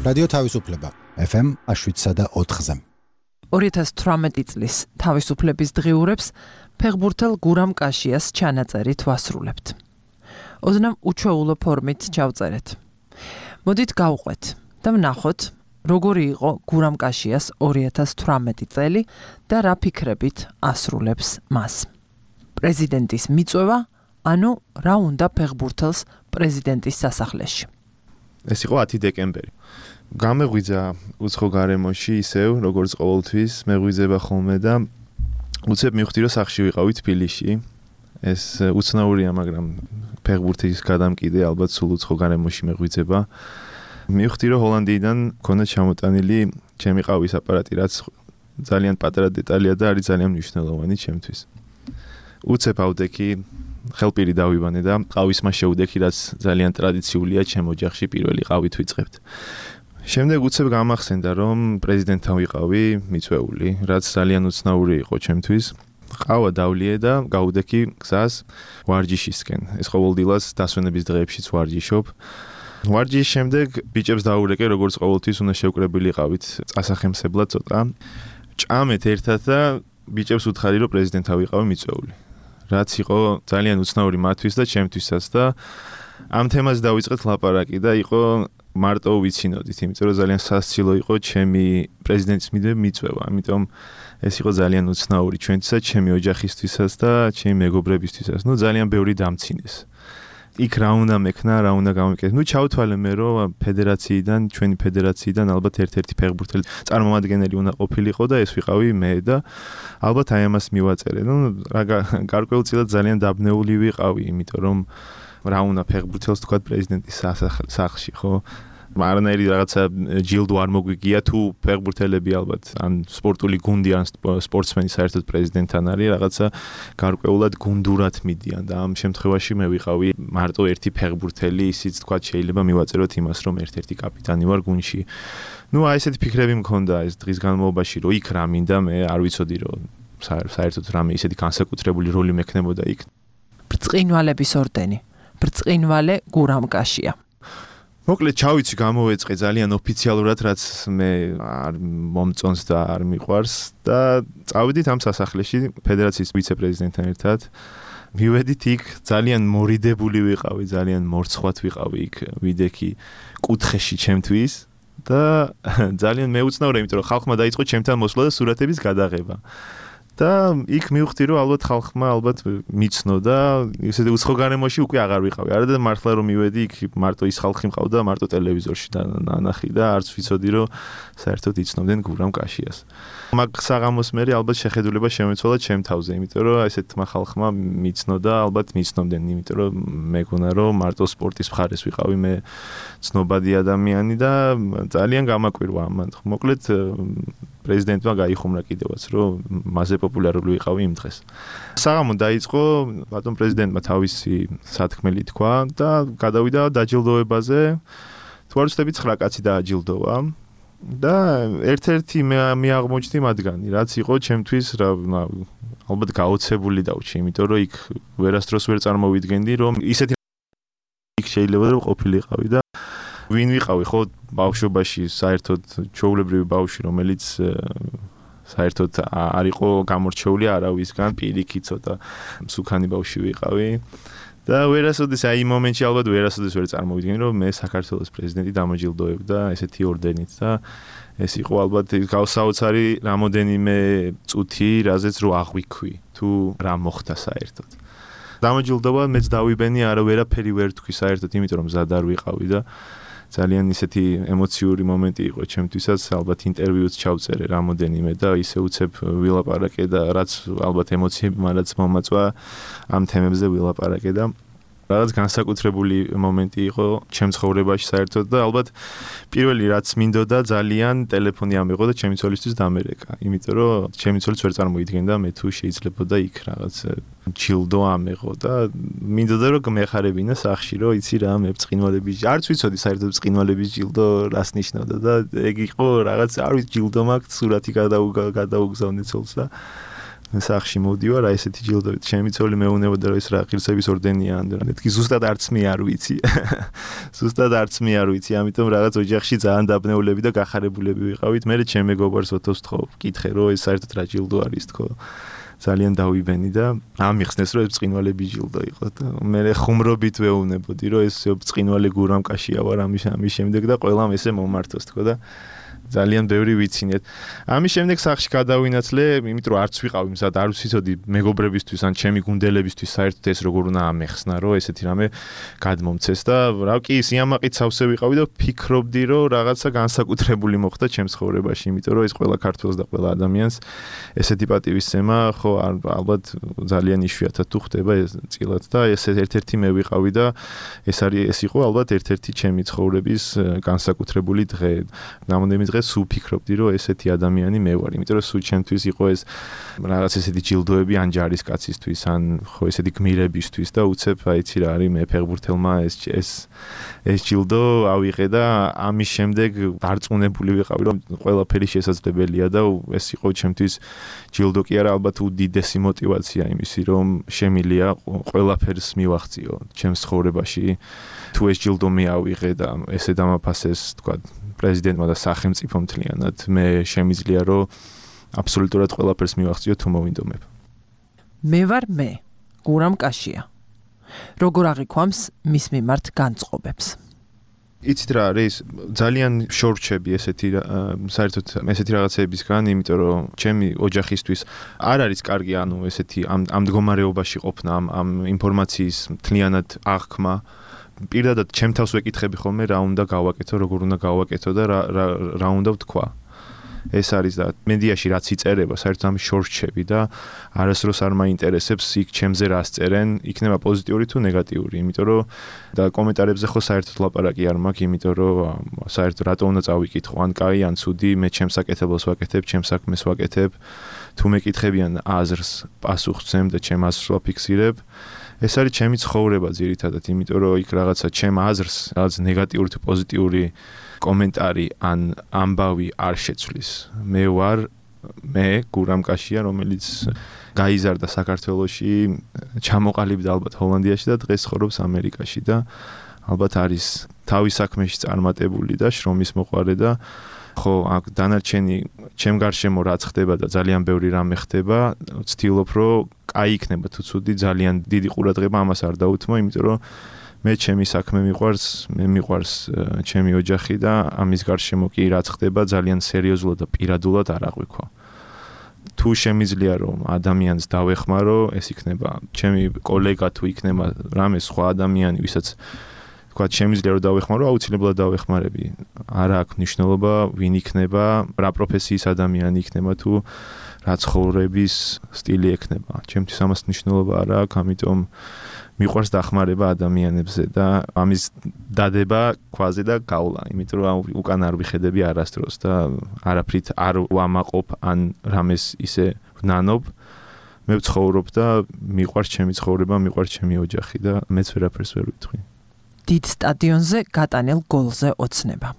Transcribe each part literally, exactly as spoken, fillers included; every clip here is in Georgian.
რადიო თავისუფლება ეფ ემ შვიდსა და ოთხზე. ორი ათას თვრამეტი წლის თავისუფლების დღიურებს ფეხბურთელ გურამ კაშიას ჩანაწერით ვასრულებთ. ოდნავ უჩვეულო ფორმით ჩავწერეთ. მოდით გავყვეთ და ვნახოთ, როგორი იყო გურამ კაშიას ორი ათას თვრამეტი წელი და რა ფიქრებით ასრულებს მას. პრეზიდენტის მიწვევა, ანუ რა უნდა ფეხბურთელს პრეზიდენტის სასახლეში. ეს იყო ათი დეკემბერი. გამეღვიძა უცხო გარემოში ისევ, როგორც ყოველთვის, მეღვიძება ხოლმე და უცებ მივხვდი, რომ სახლში ვიყავი თბილისში. ეს უცნაურია, მაგრამ ფეხბურთის გადამკიდე ალბათ სულ უცხო გარემოში მეღვიძება. მივხვდი, რომ ჰოლანდიიდან მქონდა ჩამოტანილი ჩემი ყავის აპარატი, რაც ძალიან პატარა დეტალია და არის ძალიან მნიშვნელოვანი ჩემთვის. უცებ ავდექი ხელპირი დავიბანე და ყავის მას შეუდექი, რაც ძალიან ტრადიციულია ჩემ ოჯახში პირველი ყავით ვიწყებთ. შემდეგ უცებ გამახსენდა, რომ პრეზიდენტთან ვიყავი მიწვეული, რაც ძალიან უცნაური იყო ჩემთვის. ყავა დავლიე და გავუდექი გზას ვარჯიშისკენ. ეს ყოველდღიურად დასვენების დღეებშიც ვარჯიშობ. ვარჯიშის შემდეგ ბიჭებს დაურეკე, როგორც ყოველთვის უნდა შევკრებილიყავით წასახემსებლად ცოტა. ჭამეთ ერთად და ბიჭებს უთხარი, რომ პრეზიდენტთან ვიყავი მიწვეული. რაც იყო ძალიან უცნაური მათთვის და ჩემთვისაც და ამ თემას დავიწყეთ ლაპარაკი და იყო მარტო ვიცინოდით, იმიტომ რომ ძალიან სასცილო იყო ჩემი პრეზიდენტის მიწვევა, ამიტომ ეს იყო ძალიან უცნაური ჩვენთვისაც, ჩემი ოჯახისთვისაც და ჩემი მეგობრებისთვისაც. ნუ ძალიან ბევრი დამცინეს. იქ რა უნდა მექნა, რა უნდა გამოვიკეთე. ნუ ჩავთვალე მე, რომ ფედერაციიდან, ჩვენი ფედერაციიდან ალბათ ერთ-ერთი ფეხბურთელი წარმომადგენელი უნდა ყოფილიყო და ეს ვიყავი მე და ალბათ აი ამას მივაწერე. ნუ რა გარკვეულწილად ძალიან დაბნეული ვიყავი, იმიტომ რომ რა უნდა ფეხბურთელს თქვა პრეზიდენტის სახლში, ხო? არანაირი რაღაცა ჯილდო არ მოგვიგია თუ ფეხბურთელები ალბათ ან სპორტული გუნდი ან სპორტსმენი საერთოდ პრეზიდენტთან არის რაღაცა გარკვეულად გუნდურად მიდიან და ამ შემთხვევაში მე ვიყავი მარტო ერთი ფეხბურთელი, ისიც თქვა შეიძლება მივაწეროთ იმას, რომ ერთ-ერთი კაპიტანი ვარ გუნდში. ნუ აი ესეთი ფიქრები მქონდა ეს დღის განმავლობაში, რომ იქ რა მინდა, მე არ ვიცოდი, რომ საერთოდ რამე ისეთი განსაკუთრებული როლი მექნებოდა იქ. ბრწყინვალების ორდენი. ბრწყინვალე გურამ კაშია. მოკლედ ჩავიცი გამოვეწყე ძალიან ოფიციალურად, რაც მე არ მომწონს და არ მიყვარს და წავედით ამ სასახლეში ფედერაციის ვიცე-პრეზიდენტთან ერთად. მივედით იქ, ძალიან მორიდებული ვიყავი, ძალიან მორცხვად ვიყავი იქ, ვიდექი კუთხეში ჩემთვის და ძალიან მეუცნაურე, იმიტომ რომ ხალხმა დაიწყო ჩემთან მოსვლა და სურათების გადაღება. და იქ მივხვდი, რომ ალბათ ხალხმა ალბათ მიცნო და ისეთი უცხო გარემოში უკვე აღარ ვიყავი. არა და მართლა რომ მივედი, იქ მარტო ის ხალხი მყავდა, მარტო ტელევიზორში ნანახი და არც ვიცოდი, რომ საერთოდ იცნობდნენ გურამ კაშიას. მაგ საღამოს მერე ალბათ შეხედულება შემეცვალა ჩემ თავზე, იმიტომ რომ ესეთმა ხალხმა მიცნო და ალბათ მიცნობდნენ, იმიტომ რომ მეგონა რომ მარტო სპორტის მხარეს ვიყავი მე ცნობადი ადამიანი და ძალიან გამაკვირვა ამან. მოკლედ პრეზიდენტმა გაიხუმრა კიდევაც, რომ მასზე პოპულარული ვიყავი იმ დღეს. საღამო დაიწყო, ბატონ პრეზიდენტმა თავისი სათქმელი თქვა და გადავიდა დაჯილდოებაზე. თუ არ ვცდები ცხრა კაცი დააჯილდოვა და ერთ-ერთი მე აღმოჩნდი მათგანი, რაც იყო ჩემთვის რა ალბათ გაოცებული დავჭი, იმიტომ რომ იქ ვერასდროს ვერ წარმოვიდგენდი, რომ ისეთი იქ შეიძლება რომ ყოფილიყავი და ვინ ვიყავი, ხო, ბავშვობაში საერთოდ ჩვეულებრივი ბავშვი, რომელიც საერთოდ არ იყო გამორჩეული არავისგან, პირიქით ცოტა მსუქანი ბავშვი ვიყავი და ვერასოდეს აი იმ მომენტში ალბათ ვერასოდეს ვერ წარმოვიდგენი, რომ მე საქართველოს პრეზიდენტი დამოჯილდოებდა ესეთი ორდენით და ეს იყო ალბათ გავსაოცარი რამოდენიმე წუთი, რაზეც რო აღვიქვი, თუ რა მოხდა საერთოდ. დამოჯილდოვა მეც დავიბენი, არა ვერაფერი ვერ თქვი საერთოდ, იმიტომ რომ მზად არ ვიყავი და ძალიან ისეთი ემოციური მომენტი იყო ჩემთვისაც, ალბათ ინტერვიუც ჩავწერე რამოდენიმე და ისე უცებ ვილაპარაკე და რაც ალბათ ემოციები მარაც მომაწვა ამ თემებზე ვილაპარაკე და რაღაც განსაკუთრებული მომენტი იყო ჩემ ცხოვრებაში საერთოდ და ალბათ პირველი რაც მინდოდა ძალიან ტელეფონი ამიღო და ჩემი ცოლისთვის დამერეკა, იმიტომ რომ ჩემი ცოლიც ვერ წარმოიდგენდა მე თუ შეიძლებოდა იქ რაღაც ჯილდო ამეღო და მინდოდა რომ მეხარებინა სახში, რომ იცი რა მე ბრწყინვალების არც ვიცოდი საერთოდ ბრწყინვალების ჯილდო რას ნიშნავდა და ეგ იყო რაღაც არ ვიცი ჯილდო მაქვს სურათი გადაუგზავნე ცოლს და სახში მოვდივარ, აი ესეთი ჯილდოებით. ჩემი ცოლი მეუნებოდა რომ ეს რა ღირსების ორდენია ან რა. მეთქი ზუსტად არც მე არ ვიცი. ზუსტად არც მე არ ვიცი, ამიტომ რაღაც ოჯახში ძალიან დაბნეულები და გახარებულები ვიყავით. მე ჩემ მეგობარს ოთოს თქო, ვკითხე რომ ეს საერთოდ რა ჯილდო არის თქო. ძალიან დავიბენი და ამიხსნეს რომ ეს ბრწყინვალე ჯილდო იყო და მე ხუმრობით ვეუბნებოდი რომ ეს ბრწყინვალე გურამკაშია ვარ ამის ამის შემდეგ და ყველამ ესე მომართოს თქო და ძალიან ბევრი ვიცინეთ. ამის შემდეგ სახში გადავინაცვლე, იმიტომ რომ არც ვიყავი მზად, არ ვიცოდი მეგობრებისთვის ან ჩემი გუნდელებისთვის საერთოდ ეს როგორ უნდა ამეხსნა, რომ ესეთი რამე გადმომცეს და რა კი სიამაყით სავსე ვიყავი და ფიქრობდი, რომ რაღაცა განსაკუთრებული მოხდა ჩემს ცხოვრებაში, იმიტომ რომ ეს ყველა ქართველს და ყველა ადამიანს ესეთი პატივისცემა, ხო, ალბათ ძალიან იშვიათად თუ ხდება ეს წილად და ეს ერთ-ერთი მე ვიყავი და ეს არის ეს იყო ალბათ ერთ-ერთი ჩემი ცხოვრების განსაკუთრებული დღე. ნამდვილად სულ ფიქრობდი რომ ესეთი ადამიანი მე ვარ, იმიტომ რომ სულ ჩემთვის იყო ეს რაღაც ესეთი ჯილდოები ან ჯარისკაცისთვის, ან ხო ესეთი გმირებისთვის და უცებ აიცი რა არის მე ფეხბურთელმა ეს ეს ეს ჯილდო ავიღე და ამის შემდეგ დარწმუნებული ვიყავი რომ ყველაფერი შესაძლებელია და ეს იყო ჩემთვის ჯილდო კი არა, ალბათ უდიდესი мотиваცია იმისი რომ შემილია ყველაფერს მივახციო ჩემს ცხოვრებაში. თუ ეს ჯილდო მე ავიღე და ესე დამაფასეს თქვა პრეზიდენტმა და სახელმწიფომ მთლიანად, მე შემიძლია რომ აბსოლუტურად ყველაფერს მივახციო თუ მოვინდომებ. მე ვარ მე, გურამ კაშია. როგორ აღიქვამს მის მიმართ განწყობებს? იცით რა არის, ძალიან შორჩები ესეთი საერთოდ ესეთი რაღაცებისგან, იმიტომ რომ ჩემი ოჯახისთვის არ არის კარგი ანუ ესეთი ამ ამ მდგომარეობაში ყოფნა, ამ ამ ინფორმაციის მთლიანად აღქმა. პირდადად ჩემ თავს ვეკითხები ხოლმე რა უნდა გავაკეთო, როგორ უნდა გავაკეთო და რა რა რა უნდა ვთქვა. ეს არის და მედიაში რაც იწერება, საერთოდ ამის შორჩები და არასდროს არ მაინტერესებს იქ ჩემზე რას წერენ, იქნება პოზიტიური თუ ნეგატიური, იმიტომ რომ და კომენტარებზე ხო საერთოდ ლაპარაკი არ მაქვს, იმიტომ რომ საერთოდ რატო უნდა წავიკითხო, ან კაი, ან ცუდი, მე ჩემს საკეთებელს ვაკეთებ, ჩემს საქმეს ვაკეთებ, თუ მეკითხებიან აზრს, პასუხს ვცემ და ჩემ აზრს ვაფიქსირებ. ეს არის ჩემი ცხოვრება ძირითადად, იმიტომ რომ იქ რაღაცა ჩემ აზრს, რაღაც ნეგატიური თუ პოზიტიური კომენტარი ან ამბავი არ შეცვლის. მე ვარ მე გურამ კაშია, რომელიც გაიზარდა საქართველოში, ჩამოყალიბდა ალბათ ჰოლანდიაში და დღეს ცხოვრობს ამერიკაში და ალბათ არის თავის საქმეში წარმატებული და შრომის მოყვარე და ხო, აქ დანარჩენი ჩემ გარშემო რაც ხდება და ძალიან ბევრი რამე ხდება, ვცდილობ რომ კაი იქნება თუ ცუდი, ძალიან დიდი ყურადღება ამას არ დაუთმო, იმიტომ რომ მე ჩემი საქმე მიყვარს, მე მიყვარს ჩემი ოჯახი და ამის გარშემო კი რაც ხდება ძალიან სერიოზულად და პირადულად არ აღვიქვა. თუ შემიძლია რომ ადამიანს დავეხმარო, ეს იქნება ჩემი კოლეგა თუ იქნება რამე სხვა ადამიანი, ვისაც თქვა შემიძლია რომ დავეხმარო, აუცილებლად დავეხმარები. არა აქვს მნიშვნელობა ვინ იქნება, რა პროფესიის ადამიანი იქნება თუ რა ცხოვრების სტილი ექნება. ჩემთვის ამას მნიშვნელობა არ აქვს, ამიტომ მიყვარს დახმარება ადამიანებზე და ამის დადება ქვაზე და გავლა, იმიტომ რომ უკან არ ვიხედები არასდროს და არაფრით არ ვამაყობ ან რამეს ისე ვნანობ. მე ვცხოვრობ და მიყვარს ჩემი ცხოვრება, მიყვარს ჩემი ოჯახი და მეც ვერაფერს ვერ ვიტყვი. დიდ სტადიონზე გატანილ გოლზე ოცნება.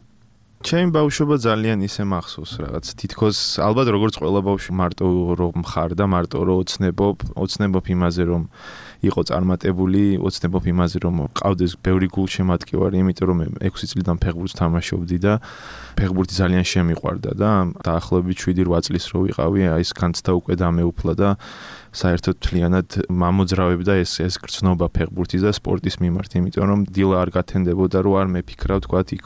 ჩემი ბავშვობა ძალიან ისე მახსოვს რაღაც თითქოს ალბათ როგორც ყველა ბავშვი მარტო რომ მხარ და მარტო რომ ოცნებობ, ოცნებობ იმაზე რომ იყო წარმატებული, ოცნებობ იმაზე რომ ყავდეს ბევრი გულშემატკივარი, იმიტომ რომ მე ექვსი წლიდან ფეხბურთს თამაშობდი და ფეხბურთი ძალიან შემიყვარდა და დაახლოებით შვიდი რვა წლის რო ვიყავი, აი ეს განცდა უკვე დამეუფლა და საერთოდ მთლიანად მამოძრავებდა ეს ეს გრძნობა ფეხბურთის და სპორტის მიმართ, იმიტომ რომ დილა არ გათენდებოდა რომ არ მეფიქრავ თქვა იქ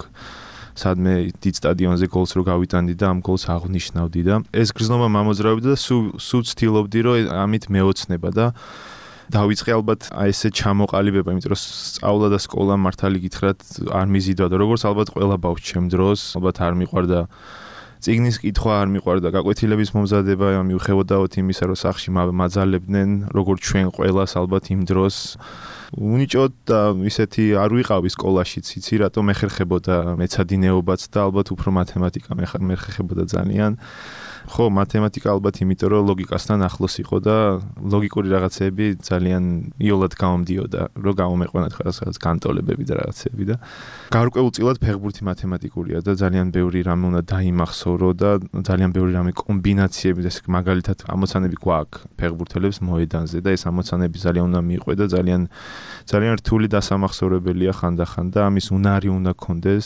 სადმე დიდ სტადიონზე გოლს რო გავიტანდი და ამ გოლს აღნიშნავდი და ეს გრძნობა მამოძრავებდა და სულ სულ ცდილობდი რომ ამით მეოცნება და დავიწყე ალბათ აი ესე ჩამოყალიბება, იმიტომ რომ სწავლა და სკოლა მართალი გითხრათ არ მიზიდვადა, როგორც ალბათ ყველა ბავშვი ჩემ დროს, ალბათ არ მიყვარდა წიგნის კითხვა, არ მიყვარდა გაკვეთილების მომზადება, მიუხედავად იმისა, რომ სახში მაძალებდნენ, როგორც ჩვენ ყველას ალბათ იმ დროს უნიჭოდ და ისეთი არ ვიყავი სკოლაშიც, იცი რატომ ეხერხებოდა მეცადინეობაც და ალბათ უფრო მათემატიკა მეხერხებოდა ძალიან. ხო, მათემატიკა ალბათ იმიტომ რომ ლოგიკასთან ახლოს იყო და ლოგიკური რაღაცეები ძალიან იოლად გამომდიოდა, რომ გამომეყვანათ რაღაც განტოლებები და რაღაცეები და გარკვეულწილად ფეხბურთი მათემატიკურია და ძალიან ბევრი რამე უნდა დაიმახსოვრო და ძალიან ბევრი რამე კომბინაციები, ეს მაგალითად ამოცანები გვაქვს ფეხბურთელებს მოედანზე და ეს ამოცანები ძალიან უნდა მიყვე და ძალიან ძალიან რთული დასამახსოვრებელია ხანდახან და ამის უნარი უნდა გქონდეს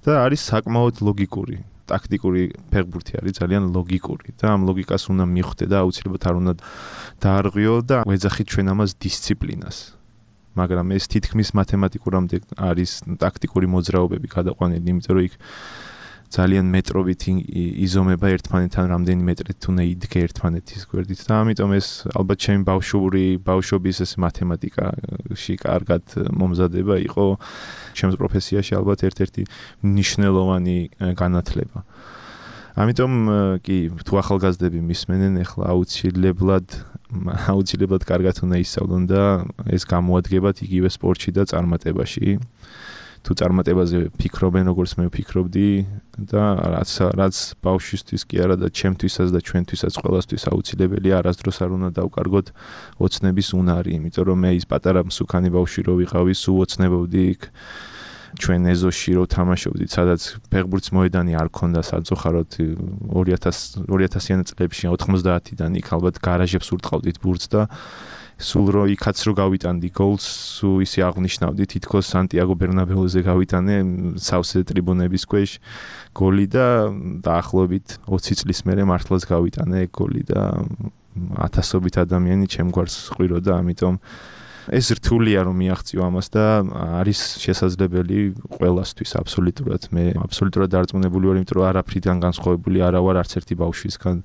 და არის საკმაოდ ლოგიკური. ტაქტიკური ფეხბურთი არის ძალიან ლოგიკური და ამ ლოგიკას უნდა მიხვდე და აუცილებლად არ უნდა დაარღვიო და ვეძახით ჩვენ ამას დისციპლინას. მაგრამ ეს თითქმის მათემატიკურამდე არის ტაქტიკური მოძრაობები გადაყვანილი, იმიტომ რომ იქ ძალიან მეტრობით იზომება ერთმანეთთან რამდენი მეტრით თუ ნეიდგე ერთმანეთის გვერდით და ამიტომ ეს ალბათ ჩემი ბავშვური ბავშვობის ეს მათემატიკაში კარგად მომზადება იყო ჩემს პროფესიაში ალბათ ერთ-ერთი მნიშვნელოვანი განათლება. ამიტომ კი თუ ახალგაზრდები მისმენენ ახლა აუცილებლად აუცილებლად კარგად უნდა ისწავლონ და ეს გამოადგებათ იგივე სპორტში და წარმატებაში. თუ წარმატებაზე ფიქრობენ, როგორც მე ვფიქრობდი და რაც რაც ბავშვისთვის კი არა და ჩემთვისაც და ჩვენთვისაც ყველასთვის აუცილებელია, არასდროს არ უნდა დავკარგოთ ოცნების უნარი, იმიტომ რომ მე ის პატარა მსუქანი ბავშვი რო ვიყავი, სულ ოცნებობდი იქ ჩვენ ეზოში რო თამაშობდით, სადაც ფეხბურთის მოედანი არ ქონდა საძოხაროდ ორი ათასიან წლებში ოთხმოცდაათიდან იქ ალბათ გარაჟებს ურტყავდით ბურთს და სულ რო იქაც რო გავიტანდი გოლს, სულ ისე აღნიშნავდი თითქოს სანტიაგო ბერნაბეუზე გავიტანე სავსე ტრიბუნების ქვეშ გოლი და დაახლოებით ოცი წლის მერე მართლაც გავიტანე გოლი და ათასობით ადამიანი ჩემგვარს ყვიროდა, ამიტომ ეს რთულია რომ მიაღწიო ამას და არის შესაძლებელი ყველასთვის აბსოლუტურად. მე აბსოლუტურად დარწმუნებული ვარ, იმიტომ რომ არაფრიდან განსხვავებული არა ვარ არც ერთი ბავშვისგან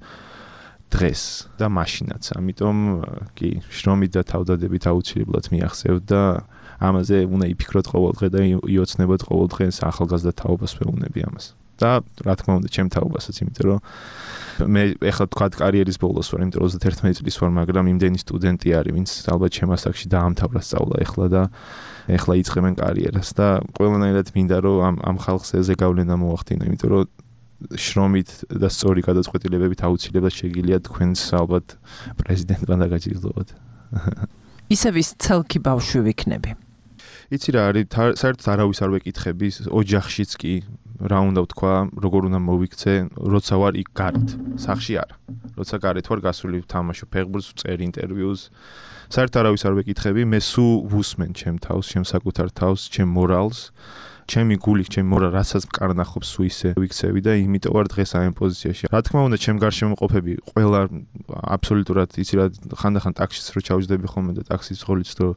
დღეს და მაშინაც. ამიტომ კი შრომით და თავდადებით აუცილებლად მიაღწევთ და ამაზე უნდა იფიქროთ ყოველდღე და იოცნებოთ ყოველდღე ახალგაზრდა თაობას ვეუბნები ამას. და რა თქმა უნდა ჩემ თაობასაც, იმიტომ რომ მე ეხლა თქვა კარიერის ბოლოს ვარ, იმიტომ რომ ოცდაერთმეტი წლის ვარ, მაგრამ იმდენი სტუდენტი არის, ვინც ალბათ ჩემ ასაკში დაამთავრა სწავლა ეხლა და ეხლა იწყებენ კარიერას და ყველანაირად მინდა რომ ამ ამ ხალხს ეზე გავლენა მოახდინო, იმიტომ რომ შრომით და სწორი გადაწყვეტილებებით აუცილებლად შეგიძლიათ თქვენს ალბათ პრეზიდენტთან დაგაჯილდოვოთ. ისევ ის ცელქი ბავშვი ვიქნები. იცი რა არის, საერთოდ არავის არ ვეკითხები, ოჯახშიც კი რა უნდა ვთქვა, როგორ უნდა მოვიქცე, როცა ვარ იქ გარეთ, სახლში არა. როცა გარეთ ვარ გასული ვთამაშობ ფეხბურთს, ვწერ ინტერვიუს. საერთოდ არავის არ ვეკითხები, მე სულ ვუსმენ ჩემ თავს, ჩემ საკუთარ თავს, ჩემ მორალს. ჩემი გული, ჩემი მორა რასაც მკარნახობს სულ ისე ვიქცევი და იმიტომ ვარ დღეს ამ პოზიციაში. რა თქმა უნდა, ჩემ გარშემო ყოფები ყველა აბსოლუტურად იცი რა, ხანდახან ტაქსის რო ჩავჯდები ხოლმე და ტაქსის ცხოლიც რო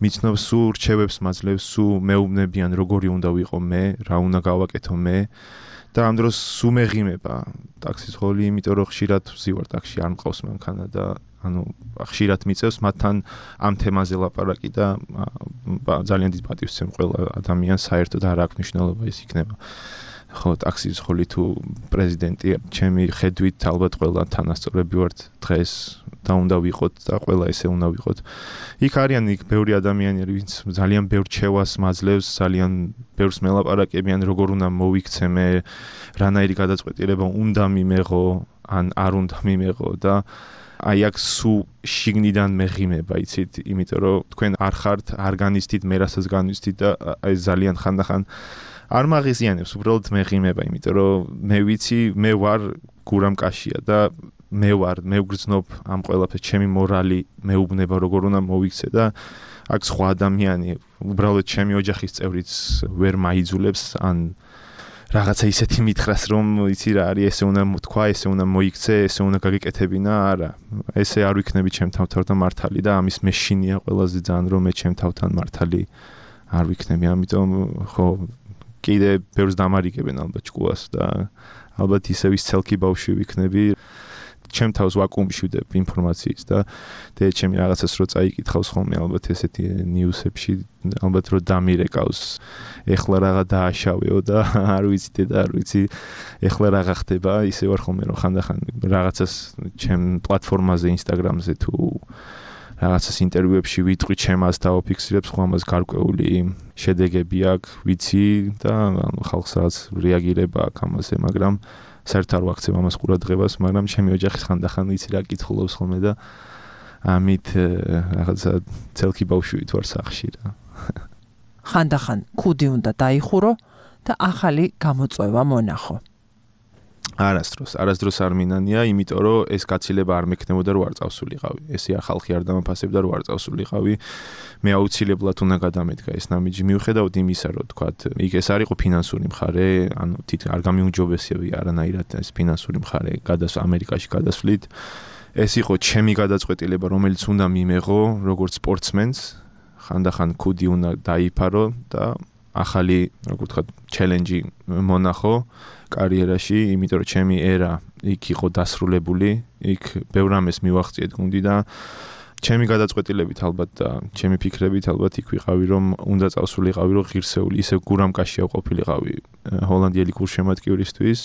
მიცნობს, სულ რჩევებს მაძლევს, სულ მეუბნებიან როგორი უნდა ვიყო მე, რა უნდა გავაკეთო მე და ამ დროს სულ მეღიმება ტაქსის ცხოლი, იმიტომ რომ ხშირად ვზივარ ტაქსში, არ მყავს მანქანა და ანუ ხშირად მიწევს მათთან ამ თემაზე ლაპარაკი და ძალიან დიდ პატივს ვცემ ყველა ადამიანს, საერთოდ არ აქვს მნიშვნელობა ის იქნება. ხო, ტაქსის ცხოლი თუ პრეზიდენტი, ჩემი ხედვით ალბათ ყველა თანასწორები ვართ დღეს და უნდა ვიყოთ და ყველა ესე უნდა ვიყოთ. იქ არიან იქ ბევრი ადამიანები, ვინც ძალიან ბევრ რჩევას მაძლევს, ძალიან ბევრს მელაპარაკებიან, როგორ უნდა მოვიქცე მე, რანაირი გადაწყვეტილება უნდა მიმეღო, ან არ უნდა მიმეღო და აი აქ სულ შიგნიდან მეღიმება, იცით, იმიტომ რომ თქვენ არ ხართ, არ განიცდით მე რასაც განიცდით და აი ძალიან ხანდახან არ მაღიზიანებს, უბრალოდ მეღიმება, იმიტომ რომ მე ვიცი, მე ვარ გურამ კაშია და მე ვარ, მე ვგრძნობ ამ ყველაფერს, ჩემი მორალი მეუბნება როგორ უნდა მოვიქცე და აქ სხვა ადამიანი, უბრალოდ ჩემი ოჯახის წევრიც ვერ მაიძულებს ან რაღაცა ისეთი მითხრას, რომ იცი რა არის, ესე უნდა თქვა, ესე უნდა მოიქცე, ესე უნდა გაგეკეთებინა, არა. ესე არ ვიქნები ჩემ თავთან მართალი და ამის მეშინია ყველაზე ძალიან, რომ მე ჩემ თავთან მართალი არ ვიქნები. ამიტომ ხო, კიდე ბევრს დამარიგებენ ალბათ ჭკუას და ალბათ ისევ ის ცელქი ბავშვი ვიქნები. ჩემ თავს ვაკუუმში ვდებ ინფორმაციის და დედე ჩემი რაღაცას რო წაიკითხავს ხოლმე ალბათ ესეთი ნიუსებში, ალბათ რო დამირეკავს, ეხლა რაღა დააშავეო და არ ვიცი დედა, არ ვიცი ეხლა რაღა ხდება, ისე ვარ ხოლმე რომ ხანდახან რაღაცას ჩემ პლატფორმაზე, ინსტაგრამზე თუ რაღაცას ინტერვიუებში ვიტყვი, ჩემას დავაფიქსირებს, ხო ამას გარკვეული შედეგები აქვს, ვიცი და ხალხს რაღაც რეაგირება აქვს ამაზე, მაგრამ საერთოდ არ ვაქცევ ამას ყურადღებას, მაგრამ ჩემი ოჯახის ხანდახან იცი რა კითხულობს ხოლმე და ამით რაღაცა ცელკი ბავშვით ვარ სახლში რა. ხანდახან ქუდი უნდა დაიხურო და ახალი გამოწვევა მონახო. არასდროს, არასდროს არ მინანია, იმიტომ რომ ეს გაცილება არ მექნებოდა რომ არ წავსულიყავი. ესე ახალხი არ დამაფასებდა რომ არ წავსულიყავი. მე აუცილებლად უნდა გადამედგა ეს ნამიჯი. მიუხედავად იმისა, რომ თქვათ, იქ ეს არ იყო ფინანსური მხარე, ანუ თით არ გამიუმჯობესებია არანაირად ეს ფინანსური მხარე გადასვლა ამერიკაში გადასვლით. ეს იყო ჩემი გადაწყვეტილება, რომელიც უნდა მიმეღო როგორც სპორტსმენს, ხანდახან ქუდი უნდა დაიფარო და ახალი, როგორ ვთქვათ, ჩელენჯი მონახო კარიერაში, იმიტომ რომ ჩემი ერა იქ იყო დასრულებული, იქ ბევრ რამეს მივაღწიეთ გუნდი და ჩემი გადაწყვეტილებით ალბათ და ჩემი ფიქრებით ალბათ იქ ვიყავი, რომ უნდა წავსულიყავი, რომ ღირსეული, ისე გურამკაშია ყოფილიყავი ჰოლანდიელი გულშემატკივრისთვის.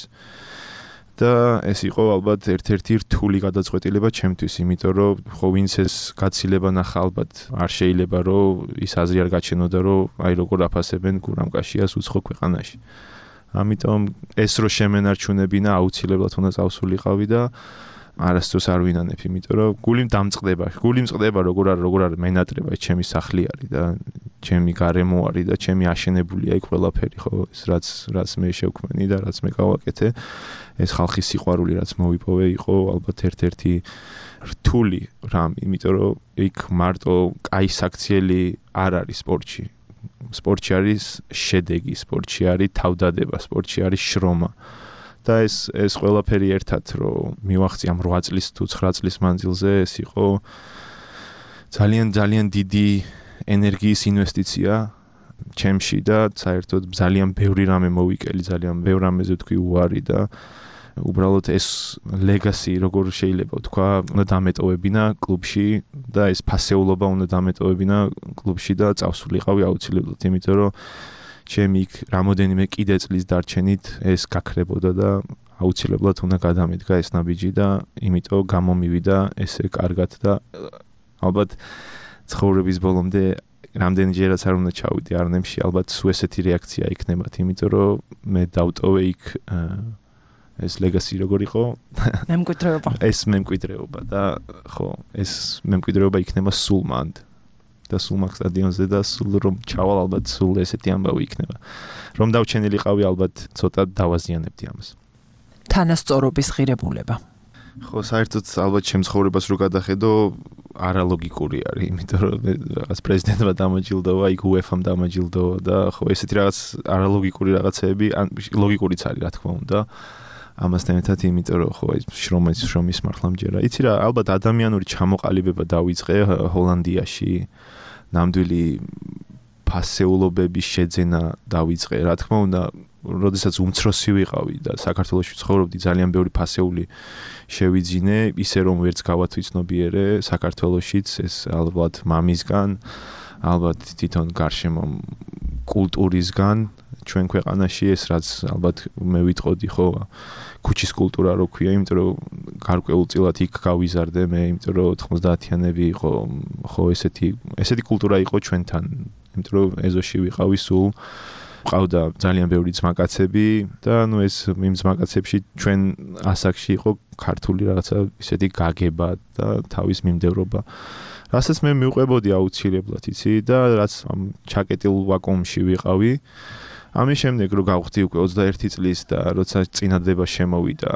და ეს იყო ალბათ ერთ-ერთი რთული გადაწყვეტილება ჩემთვის, იმიტომ რომ ხო ვინც ეს გაცილება ნახა ალბათ არ შეიძლება რომ ის აზრი არ გაჩენოდა რომ აი როგორ აფასებენ გურამკაშიას უცხო ქვეყანაში. ამიტომ ეს რო შემენარჩუნებინა აუცილებლად უნდა წავსულიყავი და არასდროს არ ვინანებ, იმიტომ რომ გული დამწყდება, გული მწყდება როგორ არ როგორ არ მენატრება, ეს ჩემი სახლი არის და ჩემი გარემო არის და ჩემი აშენებულია იქ ყველაფერი, ხო, ეს რაც რაც მე შევქმენი და რაც მე გავაკეთე, ეს ხალხის სიყვარული რაც მოვიპოვე იყო ალბათ ერთ-ერთი რთული რამ, იმიტომ რომ იქ მარტო კაი საქციელი არ არის სპორტში. სპორტში არის შედეგი, სპორტში არის თავდადება, სპორტში არის შრომა. და ეს ეს ყველაფერი ერთად რომ მივახცი ამ რვა წლის თუ ცხრა წლის მანძილზე ეს იყო ძალიან ძალიან დიდი ენერგიის ინვესტიცია ჩემში და საერთოდ ძალიან ბევრი რამე მოვიკელი, ძალიან ბევრ რამეზე თქვი უარი და უბრალოდ ეს ლეგასი როგორ შეიძლება ვთქვა, უნდა დამეტოვებინა კლუბში და ეს ფასეულობა უნდა დამეტოვებინა კლუბში და წავსულიყავი აუცილებლად, იმიტომ რომ ჩემი იქ რამოდენიმე კიდე წლის დარჩენით ეს გაქრებოდა და აუცილებლად უნდა გადამედგა ეს ნაბიჯი და იმიტომ გამომივიდა ესე კარგად და ალბათ ცხოვრების ბოლომდე რამდენჯერაც არ უნდა ჩავიდე არნემში, ალბათ სულ ესეთი რეაქცია იქნებათ, იმიტომ რომ მე დავტოვე იქ ეს ლეგასი როგორ იყო? მემკვიდრეობა. ეს მემკვიდრეობა და ხო, ეს მემკვიდრეობა იქნება სულ მანდ. და სულ მაგ სტადიონზე და სულ რომ ჩავალ ალბათ სულ ესეთი ამბავი იქნება. რომ დავჩენილიყავი ალბათ ცოტა დავაზიანებდი ამას. თანასწორობის ღირებულება. ხო, საერთოდ ალბათ ჩემს ცხოვრებას რო გადახედო, არალოგიკური არის, იმიტომ რომ რაღაც პრეზიდენტმა დამაჯილდოვა, იქ უეფამ დამაჯილდოვა და ხო ესეთი რაღაც არალოგიკური რაღაცეები, ან ლოგიკურიც არის რა თქმა უნდა. ამასთან ერთად იმიტომ რომ ხო ეს შრომის შრომის მართლა მჯერა. იცი რა, ალბათ ადამიანური ჩამოყალიბება დავიწყე ჰოლანდიაში. ნამდვილი ფასეულობების შეძენა დავიწყე. რა თქმა უნდა, როდესაც უმცროსი ვიყავი და საქართველოში ცხოვრობდი, ძალიან ბევრი ფასეული შევიძინე, ისე რომ ვერც გავათვიცნობიერე საქართველოშიც, ეს ალბათ მამისგან, ალბათ თვითონ გარშემო კულტურისგან, ჩვენ ქვეყანაში ეს რაც ალბათ მე ვიტყოდი ხო, ქუჩის კულტურა რო ქვია, იმიტომ რომ გარკვეულწილად იქ გავიზარდე მე, იმიტომ რომ ოთხმოცდაათიანები იყო, ხო ესეთი ესეთი კულტურა იყო ჩვენთან, იმიტომ რომ ეზოში ვიყავი სულ ყავდა ძალიან ბევრი ძმაკაცები და ნუ ეს იმ ძმაკაცებში ჩვენ ასაკში იყო ქართული რაღაცა ისეთი გაგება და თავის მიმდევრობა. რასაც მე მივყვებოდი აუცილებლად, იცი და რაც ამ ჩაკეტილ ვაკუუმში ვიყავი. ამის შემდეგ რო გავხდი უკვე ოცდაერთი წლის და როცა წინადადება შემოვიდა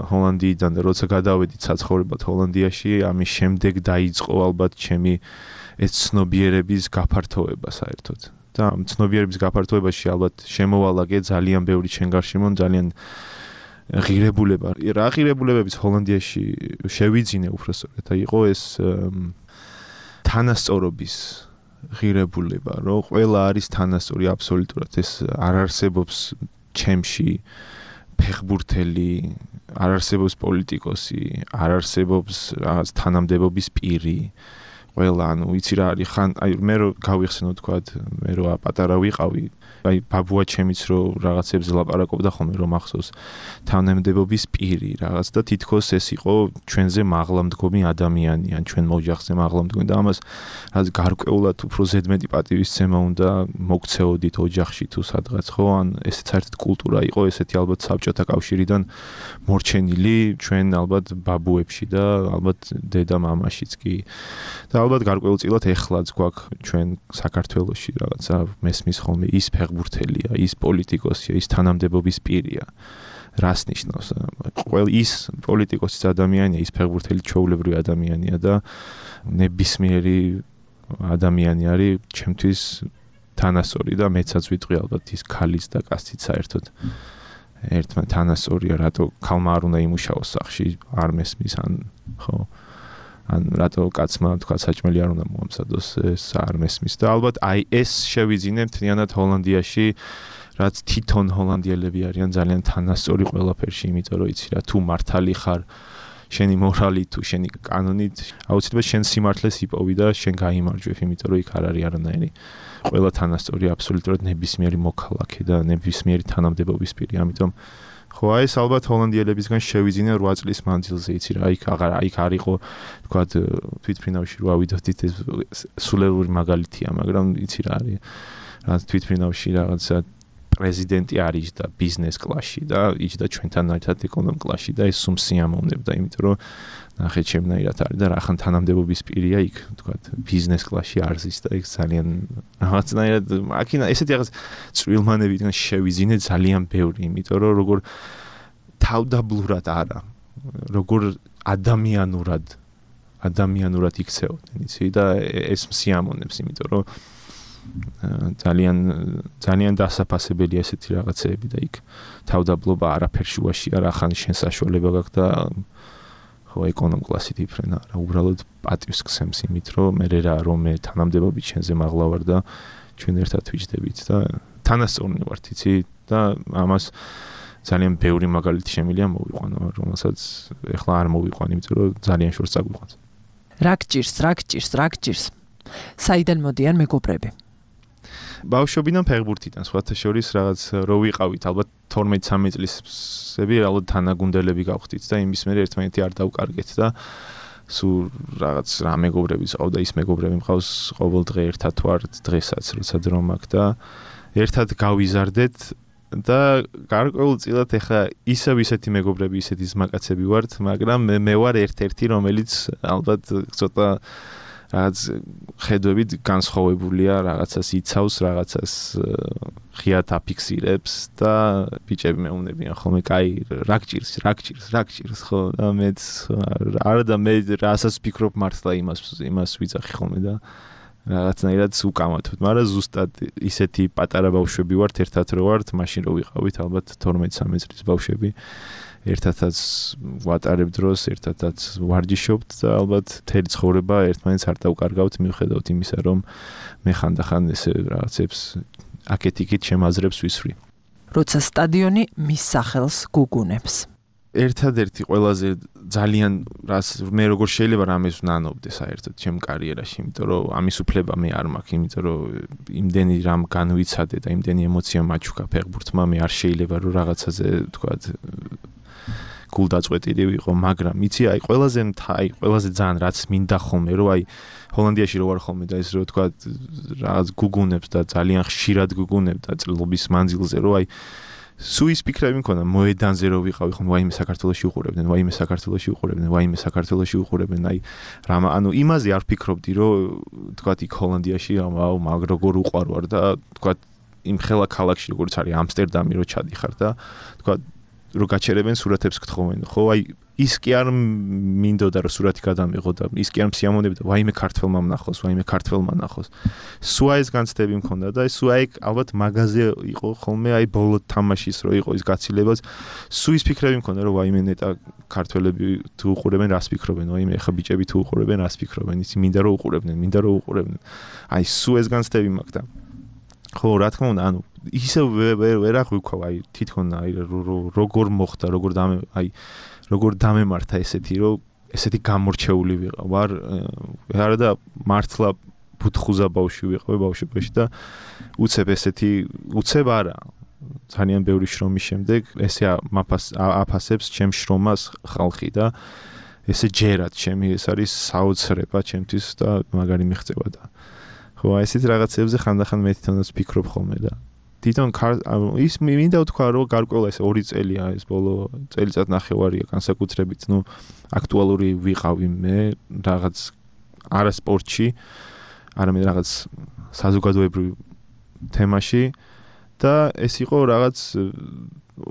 ჰოლანდიიდან და როცა გადავედით საცხოვრებლად ჰოლანდიაში, ამის შემდეგ დაიწყო ალბათ ჩემი ეს ცნობიერების გაფართოება საერთოდ. და ამ ცნობიერების გაფართოებაში ალბათ შემოვალაგე ძალიან ბევრი ჩვენ გარშემო ძალიან ღირებულება. რა ღირებულებების ჰოლანდიაში შევიძინე უბრალოდ და იყო ეს თანასწორობის ღირებულება, რომ ყველა არის თანასწორი აბსოლუტურად, ეს არ არსებობს ჩემში ფეხბურთელი, არ არსებობს პოლიტიკოსი, არ არსებობს რაღაც თანამდებობის პირი. ყველა ანუ იცი რა არის ხან აი მე რო გავიხსენო თქვა მე რო პატარა ვიყავი აი ბაბუა ჩემიც რო რაღაცებზე ლაპარაკობდა ხოლმე რომ ახსოვს თანამდებობის პირი რაღაც და თითქოს ეს იყო ჩვენზე მაღლამდგომი ადამიანი ან ჩვენ მოჯახზე მაღლამდგომი და ამას რაც გარკვეულად უფრო ზედმეტი პატივისცემა უნდა მოგცეოდით ოჯახში თუ სადღაც ხო ან ესეც საერთოდ კულტურა იყო ესეთი ალბათ საბჭოთა კავშირიდან მორჩენილი ჩვენ ალბათ ბაბუებში და ალბათ დედა მამაშიც კი და ალბათ გარკვეულწილად ეხლაც გვაქვს ჩვენ საქართველოში რაღაცა მესმის ხოლმე ის ფეხბურთელია, ის პოლიტიკოსია, ის თანამდებობის პირია. რას ნიშნავს? ყველა ის პოლიტიკოსის ადამიანია, ის ფეხბურთელი ჩვეულებრივი ადამიანია და ნებისმიერი ადამიანი არის ჩემთვის თანასწორი და მეცაც ვიტყვი ალბათ ის ქალის და კაცის საერთოდ ერთმან თანასწორია, რატო ქალმა არ უნდა იმუშაოს სახში, არ მესმის ან ხო ან რატო კაცმა თქვა საჭმელი არ უნდა მოამზადოს ეს არ მესმის და ალბათ აი ეს შევიძინებთ თიანად ჰოლანდიაში რაც თვითონ ჰოლანდიელები არიან ძალიან თანასწორი ყველაფერში იმიტომ რომ იცი რა თუ მართალი ხარ შენი მორალი თუ შენი კანონით აუცილებლად შენ სიმართლეს იპოვი და შენ გაიმარჯვებ იმიტომ რომ იქ არ არის არანაირი ყველა თანასწორი აბსოლუტურად ნებისმიერი მოქალაქე და ნებისმიერი თანამდებობის პირი ამიტომ ხო აი ეს ალბათ ჰოლანდიელებისგან შევიძინე რვა წლის მანძილზე იცი რა იქ აღარ იქ არ იყო თქვა თვითფრინავში რო ავიდოდით ეს სულელური მაგალითია მაგრამ იცი რა არის რა თვითფრინავში რაღაცა პრეზიდენტი არის და ბიზნეს კლასში და იჯდა ჩვენთან ერთად ეკონომ კლასში და ეს სულ სიამოვნებდა იმიტომ რომ ნახე ჩემნაირად არის და რახან თანამდებობის პირია იქ თქვა ბიზნეს კლასში არზის და იქ ძალიან რაღაცნაირად აქინა ესეთი რაღაც წვრილმანებიდან შევიძინე ძალიან ბევრი იმიტომ რომ როგორ თავდაბლურად არა როგორ ადამიანურად ადამიანურად იქცეოდნენ იცი და ეს სიამოვნებს იმიტომ რომ ძალიან ძალიან დასაფასებელია ესეთი რაღაცეები და იქ თავდაბლობა არაფერ შუაშია რა ხან შენ საშუალება გაქვს და ხო ეკონომ კლასით იფრენა რა უბრალოდ პატივს გსემს იმით რომ მე რა რომ მე თანამდებობით შენზე მაღლა ვარ და ჩვენ ერთად ვიჯდებით და თანასწორნი ვართ იცი და ამას ძალიან ბევრი მაგალითი შემიძლია მოვიყვანო რომელსაც ეხლა არ მოვიყვან იმიტომ რომ ძალიან შორს წაგვიყვანს რა გჭირს რა გჭირს რა გჭირს საიდან მოდიან მეგობრები ბავშვობიდან ფეხბურთიდან სხვათა შორის რაღაც რო ვიყავით ალბათ თორმეტ სამი წლისები ალბათ თანაგუნდელები გავხდით და იმის მერე ერთმანეთი არ დავკარგეთ და სულ რაღაც რა მეგობრები ყავდა ის მეგობრები მყავს ყოველ დღე ერთად ვართ დღესაც როცა დრო მაქვს და ერთად გავიზარდეთ და გარკვეულწილად ეხა ისევ ისეთი მეგობრები ისეთი ზმაკაცები ვართ მაგრამ მე მე ვარ ერთ-ერთი რომელიც ალბათ ცოტა რაც ხედვებით განსხვავებულია რაღაცას იცავს რაღაცას ღიად აფიქსირებს და ბიჭები მეუბნებიან ხოლმე კაი რა გჭირს რა გჭირს რა გჭირს ხო და მეც არა და მე რასაც ფიქრობ მართლა იმას იმას ვიძახი ხოლმე და რაღაცნაირად უკამათობ მაგრამ ზუსტად ისეთი პატარა ბავშვები ვართ ერთად რო ვართ მაშინ რო ვიყავით ალბათ თორმეტ სამი წლის ბავშვები ერთადაც ვატარებ დროს, ერთადაც ვარჯიშობთ და ალბათ მთელი ცხოვრება ერთმანეთს არ დავკარგავთ მიუხედავად იმისა, რომ მე ხანდახან ესე რაღაცებს აკეთ-იქით შემაზრებს ვისვრი. როცა სტადიონი მის სახელს გუგუნებს. ერთადერთი ყველაზე ძალიან რას მე როგორ შეიძლება რამეს ვნანობდე საერთოდ ჩემ კარიერაში, იმიტომ რომ ამის უფლება მე არ მაქვს, იმიტომ რომ იმდენი რამ განვიცადე და იმდენი ემოცია მაჩუქა ფეხბურთმა, მე არ შეიძლება რომ რაღაცაზე თქვათ გულდაწყვეტილი ვიყო, მაგრამ იცი აი ყველაზე აი ყველაზე ძალიან რაც მინდა ხოლმე რომ აი ჰოლანდიაში რო ვარ ხოლმე და ეს რო თქვა რაღაც გუგუნებს და ძალიან ხშირად გუგუნებ და წლების მანძილზე რომ აი სულ ის ფიქრები მქონდა მოედანზე რო ვიყავი ხოლმე ვაიმე საქართველოში უყურებდნენ ვაიმე საქართველოში უყურებდნენ ვაიმე საქართველოში უყურებდნენ აი რამ ანუ იმაზე არ ფიქრობდი რომ თქვა იქ ჰოლანდიაში აუ მაგ როგორ უყარვარ და თქვა იმ ხელა ქალაქში როგორც არის ამსტერდამი რო ჩადიხარ და თქვა რო გაჩერებენ სურათებს გთხოვენ ხო აი ის კი არ მინდოდა რომ სურათი გადამიღო და ის კი არ მსიამოვნებდა ვაიმე ქართველმა ნახოს ვაიმე ქართველმა ნახოს სულ ეს განცდები მქონდა და სულ აი ალბათ მაგაზე იყო ხოლმე აი ბოლო თამაშის რო იყო ის გაცილებაც სულ ის ფიქრები მქონდა რომ ვაიმე ნეტა ქართველები თუ უყურებენ რას ფიქრობენ ვაიმე ახლა ბიჭები თუ უყურებენ რას ფიქრობენ ისი მინდა რომ უყურებდნენ მინდა რომ უყურებდნენ აი სულ ეს განცდები მაქვს და ხო რა თქმა უნდა ანუ ისე ვერ აღვიქვა აი თვითონ აი როგორ მოხდა როგორ დამე აი როგორ დამემართა ესეთი რომ ესეთი გამორჩეული ვიყავ არა და მართლა ბუთხუზა ბავშვი ვიყავ ბავშვობაში და უცებ ესეთი უცებ არა ძალიან ბევრი შრომის შემდეგ ესე აფასებს ჩემ შრომას ხალხი და ესე ჯერად ჩემი ეს არის საოცრება ჩემთვის და მაგარი მიღწევა და ხო ესეთ რაღაცებზე ხანდახან მე თვითონაც ვფიქრობ ხოლმე და თვითონ ის მინდა ვთქვა რომ გარკვეულ ეს ორი წელია ეს ბოლო წელიწად ნახევარია განსაკუთრებით ნუ აქტუალური ვიყავი მე რაღაც არა სპორტში არამედ რაღაც საზოგადოებრივ თემაში და ეს იყო რაღაც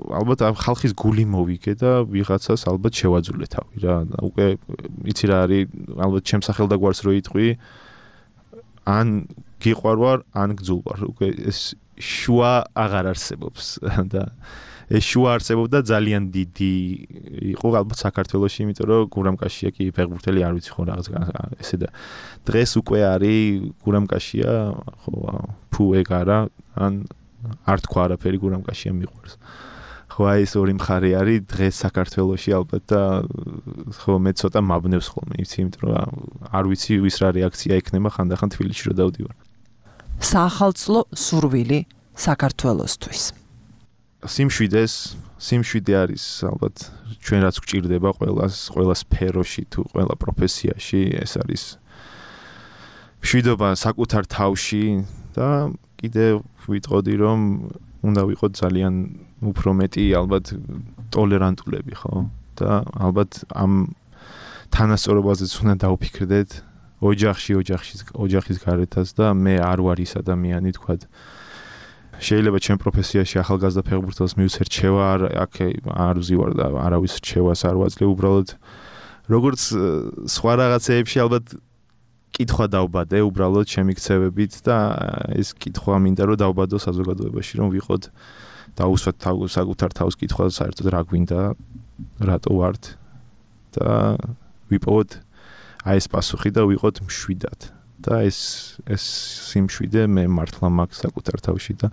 ალბათ ხალხის გული მოვიგე და ვიღაცას ალბათ შევაძულე თავი რა უკვე იცი რა არის ალბათ ჩემ სახელდაგვარს რო იტყვი ან გიყვარვარ ან გძულვარ უკვე ეს შუა აღარ არსებობს და ეს შუა არსებობდა ძალიან დიდი იყო ალბათ საქართველოში იმიტომ რომ გურამკაშია კი ფეხბურთელი არ ვიცი ხო რაღაც ესე და დღეს უკვე არის გურამკაშია ხო ფუ ეგ არა ან არ თქვა არაფერი გურამკაშია მიყვარს ხო აი ეს ორი მხარე არის დღეს საქართველოში ალბათ და ხო მე ცოტა მაბნევს ხოლმე იცი იმიტომ რომ არ ვიცი ვის რა რეაქცია ექნება ხანდახან თბილისში რო დავდივარ საახალწლო სურვილი საქართველოსთვის სიმშვიდეს სიმშვიდე არის ალბათ ჩვენ რაც გვჭირდება ყველას ყველა სფეროში თუ ყველა პროფესიაში ეს არის მშვიდობა საკუთარ თავში და კიდე ვიტყოდი რომ უნდა ვიყოთ ძალიან უფრო მეტი ალბათ ტოლერანტულები ხო და ალბათ ამ თანასწორობაზეც უნდა დავფიქრდეთ ოჯახში ოჯახის ოჯახის გარეთაც და მე არ ვარ ის ადამიანი თქვა შეიძლება ჩემ პროფესიაში ახალგაზრდა ფეხბურთელს მივცე რჩევა აქ არ ვზივარ და არავის რჩევას არ ვაძლევ უბრალოდ როგორც სხვა რაღაცეებში ალბათ კითხვა დავბადე უბრალოდ ჩემი ქცევებით და ეს კითხვა მინდა რომ დავბადო საზოგადოებაში რომ ვიყოთ დაუსვათ საკუთარ თავს კითხვა საერთოდ რა გვინდა რატო ვართ და ვიპოვოთ აი ეს პასუხი და ვიყოთ მშვიდად და ეს ეს სიმშვიდე მე მართლა მაქვს საკუთარ თავში და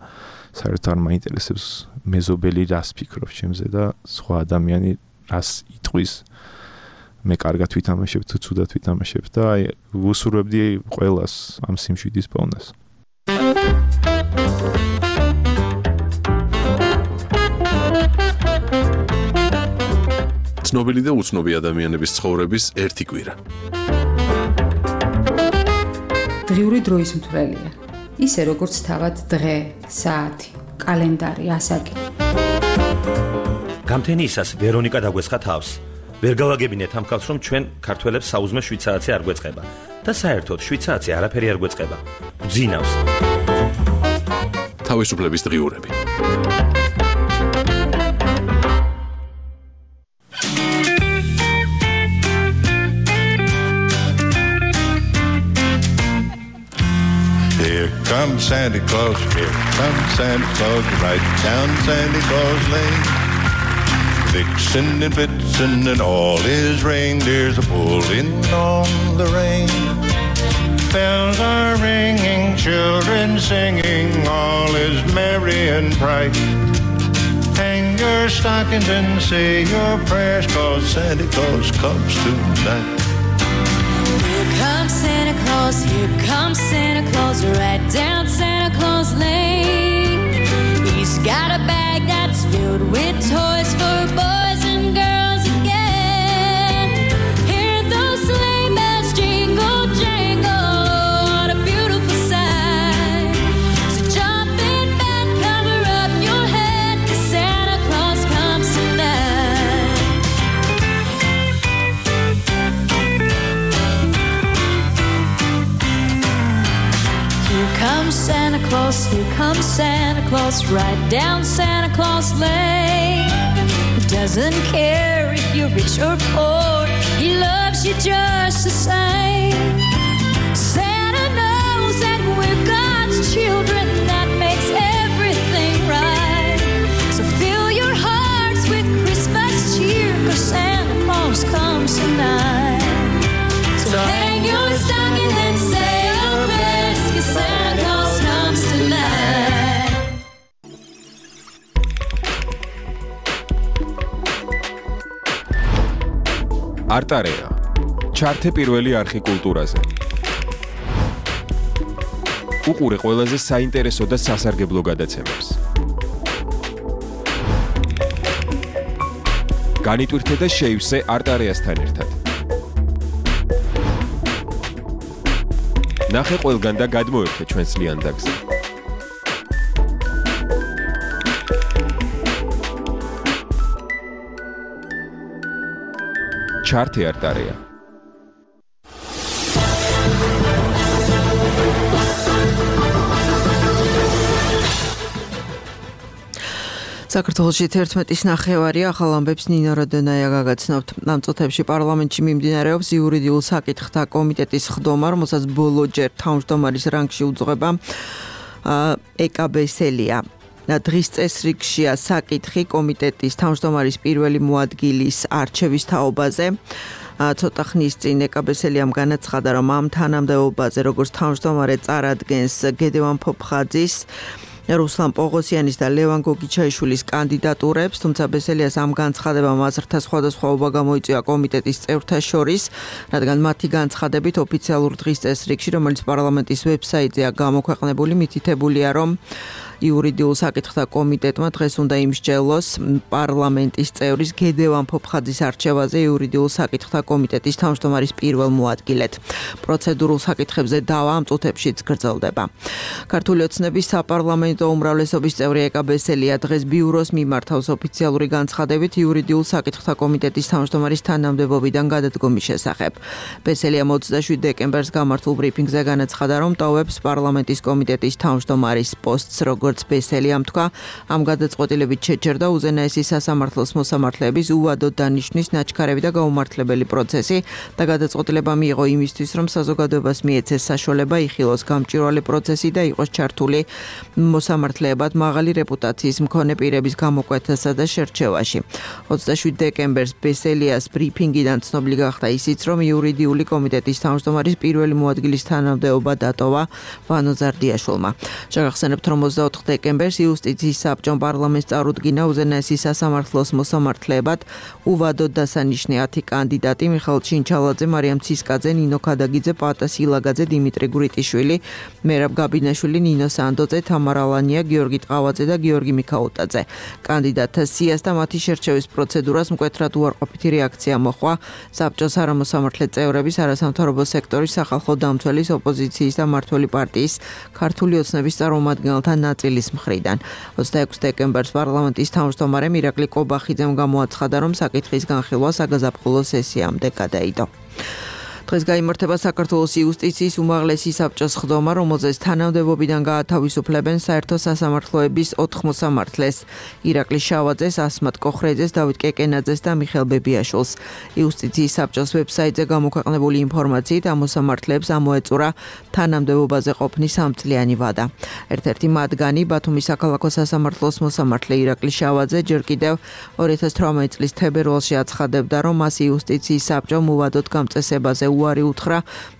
საერთოდ არ მაინტერესებს მეზობელი რას ფიქრობს ჩემზე და სხვა ადამიანი რას იტყვის მე კარგად ვითამაშებ თუ ცუდად ვითამაშებ და აი ვუსურვებდი ყველას ამ სიმშვიდის პოვნას ცნობილი და უცნობი ადამიანების ცხოვრების ერთი კვირა დღიური დროის მთვრელია ისე როგორც თავად დღე, საათი, კალენდარი, ასაკი გამთენიისას ვერონიკა დაგვესხა თავს ვერ გავაგებინეთ ამ ხალხს რომ ჩვენ ქართველებს საუზმე შვიცარიცი არ გვეწყება და საერთოდ შვიცარიცი არაფერი არ გვეწყება გძინავს თავისუფლების დღიურები Here comes Santa Claus, here comes Santa Claus, right down Santa Claus Lane. Vixen and Blitzen and all his reindeers are pulling on the rein. Bells are ringing, children singing, all is merry and bright. Hang your stockings and say your prayers, 'cause Santa Claus comes tonight. Here comes Santa Claus, here comes Santa Claus, right down Santa Claus Lane. He's got a bag that's filled with toys for boys and girls again. Hear those sleigh bells jingle, jangle, what a beautiful sight. So jump in bed, cover up your head, 'cause Santa Claus comes tonight. Here comes Santa Claus, here comes Santa Claus, right down Santa Claus Lane. He doesn't care if you're rich or poor, he loves you just the same. Santa knows that we're God's children, that makes everything right. So fill your hearts with Christmas cheer, 'cause Santa Claus comes tonight. So hang your stocking and say your prayers, 'cause Santa Claus comes tonight. Artarea ჩართე პირველი არხი კულტურაზე. უყურე ყველაზე საინტერესო და სასარგებლო გადაცემებს. განიტვირთე და შეივსე არტარეასთან ერთად. ნახე ყველგან და გადმოერთე ჩვენს ლიანდაგზე. ჩართე არტარეა. საქართველოში თერთმეტის ნახევარია ახალ ამბებს ნინო როდონაია გაგაცნობთ. ამ წუთებში პარლამენტში მიმდინარეობს იურიდიულ საკითხთა კომიტეტის ხდომა, რომელსაც ბოლოჯერ თავმჯდომარის რანგში უძღვება ეკაბესელია. დღის წესრიგშია საკითხი კომიტეტის თავმჯდომარის პირველი მოადგილის არჩევის თაობაზე. ცოტა ხნის წინ ეკაბესელიამ განაცხადა, რომ ამ თანამდებობაზე როგორც თავმჯდომარე წარადგენს გედევან ფოფხაძის, რუსლან პოღოსიანის და ლევან გოგიჩაიშვილის კანდიდატურებს, თუმცა ბესელიას ამ განცხადებამ აზრთა სხვადასხვაობა გამოიწვია კომიტეტის წევრთა შორის, რადგან მათი განცხადებით ოფიციალურ დღის წესრიგში, რომელიც პარლამენტის ვებსაიტზეა გამოქვეყნებული, მითითებულია, რომ იურიდიულ საკითხთა კომიტეტმა დღეს უნდა იმსჯელოს პარლამენტის წევრის გედევან ფოფხაძის არჩევაზე იურიდიულ საკითხთა კომიტეტის თავმჯდომარის პირველ მოადგილედ. პროცედურულ საკითხებზე დავა ამ წუთებშიც გრძელდება. ქართული ოცნების საპარლამენტო უმრავლესობის წევრი ეკაბესელია დღეს ბიუროს მიმართავს ოფიციალური განცხადებით იურიდიულ საკითხთა კომიტეტის თავმჯდომარის თანამდებობიდან გადადგომის შესახებ. ბესელიამ ოცდაშვიდ დეკემბერს გამართულ ბრიფინგზე განაცხადა, რომ ტოვებს პარლამენტის კომიტეტის თავმჯდომარის პოსტს, როგორც ბესელიამ თქვა, ამ გადაწყვეტილებით შეჩერდა უზენაესი სასამართლოს მოსამართლეების უვადოდ დანიშვნის ნაჩქარები და გაუმართლებელი პროცესი და გადაწყვეტილება მიიღო იმისთვის, რომ საზოგადოებას მიეცეს საშუალება იხილოს გამჭვირვალე პროცესი და იყოს ჩართული მოსამართლეებად მაღალი რეპუტაციის მქონე პირების გამოკვეთასა და შერჩევაში. ოცდაშვიდ დეკემბერს ბესელიას ბრიფინგიდან ცნობილი გახდა ისიც, რომ იურიდიული კომიტეტის თავმჯდომარის პირველი მოადგილის თანამდებობა დატოვა ვანო ზარდიაშვილმა. შეგახსენებთ, რომ ოცდაოთხ დეკემბერს იუსტიციის საბჭომ პარლამენტს წარუდგინა უზენაესი სასამართლოს მოსამართლეებად უვადოდ დასანიშნე ათი კანდიდატი მიხეილ ჩინჩალაძე, მარიამ ცისკაძე, ნინო ქადაგიძე, პატა სილაგაძე, დიმიტრი გვრიტიშვილი, მერაბ გაბინაშვილი, ნინო სანდოძე, თამარა ალანია, გიორგი ტყავაძე და გიორგი მიქაუტაძე. კანდიდატთა სიას და მათი შერჩევის პროცედურას მკვეთრად უარყოფითი რეაქცია მოჰყვა საბჭოს არამოსამართლე წევრების, არასამთავრობო სექტორის, სახალხო დამცველის, ოპოზიციის და მმართველი პარტიის ქართული ოცნების წარმომადგენელთა ნაწილის მხრიდან. ოცდაექვსი დეკემბერს პარლამენტის თავმჯდომარემ ირაკლი კობახიძემ გამოაცხადა, რომ საკითხის განხილვა საგაზაფხულო სესიამდე გადაიდო. დღეს გაიმართება საქართველოს იუსტიციის უმაღლესი საბჭოს ხდომა, რომელზეც თანამდებობიდან გაათავისუფლებენ საერთო სასამართლოების ოთხ მოსამართლეს: ირაკლი შავაძეს, ასმათ კოხრეძეს, დავით კეკენაძეს და მიხეილ ბებიაშვილს. იუსტიციის საბჭოს ვებსაიტზე გამოქვეყნებული ინფორმაციით ამ მოსამართლეებს ამოეწურა თანამდებობაზე ყოფნის სამწლიანი ვადა. ერთ-ერთი მათგანი, ბათუმის საქალაქო სასამართლოს მოსამართლე ირაკლი შავაძე, ჯერ კიდევ ორი ათას თვრამეტი წლის თებერვალში აცხადებდა, რომ მას იუსტიციის საბჭომ უვადოდ გამწესებაზე უარი უთხრა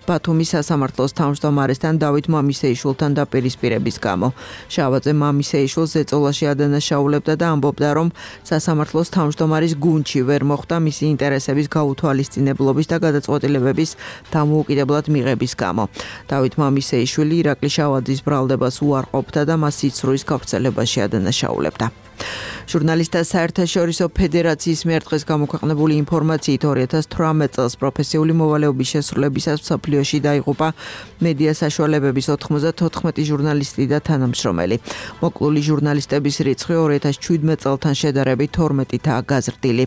ბათუმის სასამართლოს თავმჯდომარესთან დავით მამისეიშვილთან დაპირისპირების გამო. შავაძე მამისეიშვილს ზეწოლაში ადანაშაულებდა და ამბობდა, რომ სასამართლოს თავმჯდომარის გუნდში ვერ მოხვდა მისი ინტერესების გაუთვალისწინებლობის და გადაწყვეტილებების დამოუკიდებლად მიღების გამო. დავით მამისეიშვილი ირაკლი შავაძის ბრალდებას უარყოფდა და მას სიცრუის გავრცელებაში ადანაშაულებდა. ჟურნალისტთა საერთაშორისო ფედერაციის მიერ დღეს გამოქვეყნებული ინფორმაციით ორი ათას თვრამეტ წელს პროფესიული მოვალეობის შესრულებისას მსოფლიოში დაიღუპა მედია საშუალებების ოთხმოცდათოთხმეტი ჟურნალისტი და თანამშრომელი. მოკლული ჟურნალისტების რიცხვი ორი ათას შვიდმეტ წელთან შედარებით თორმეტითაა გაზრდილი.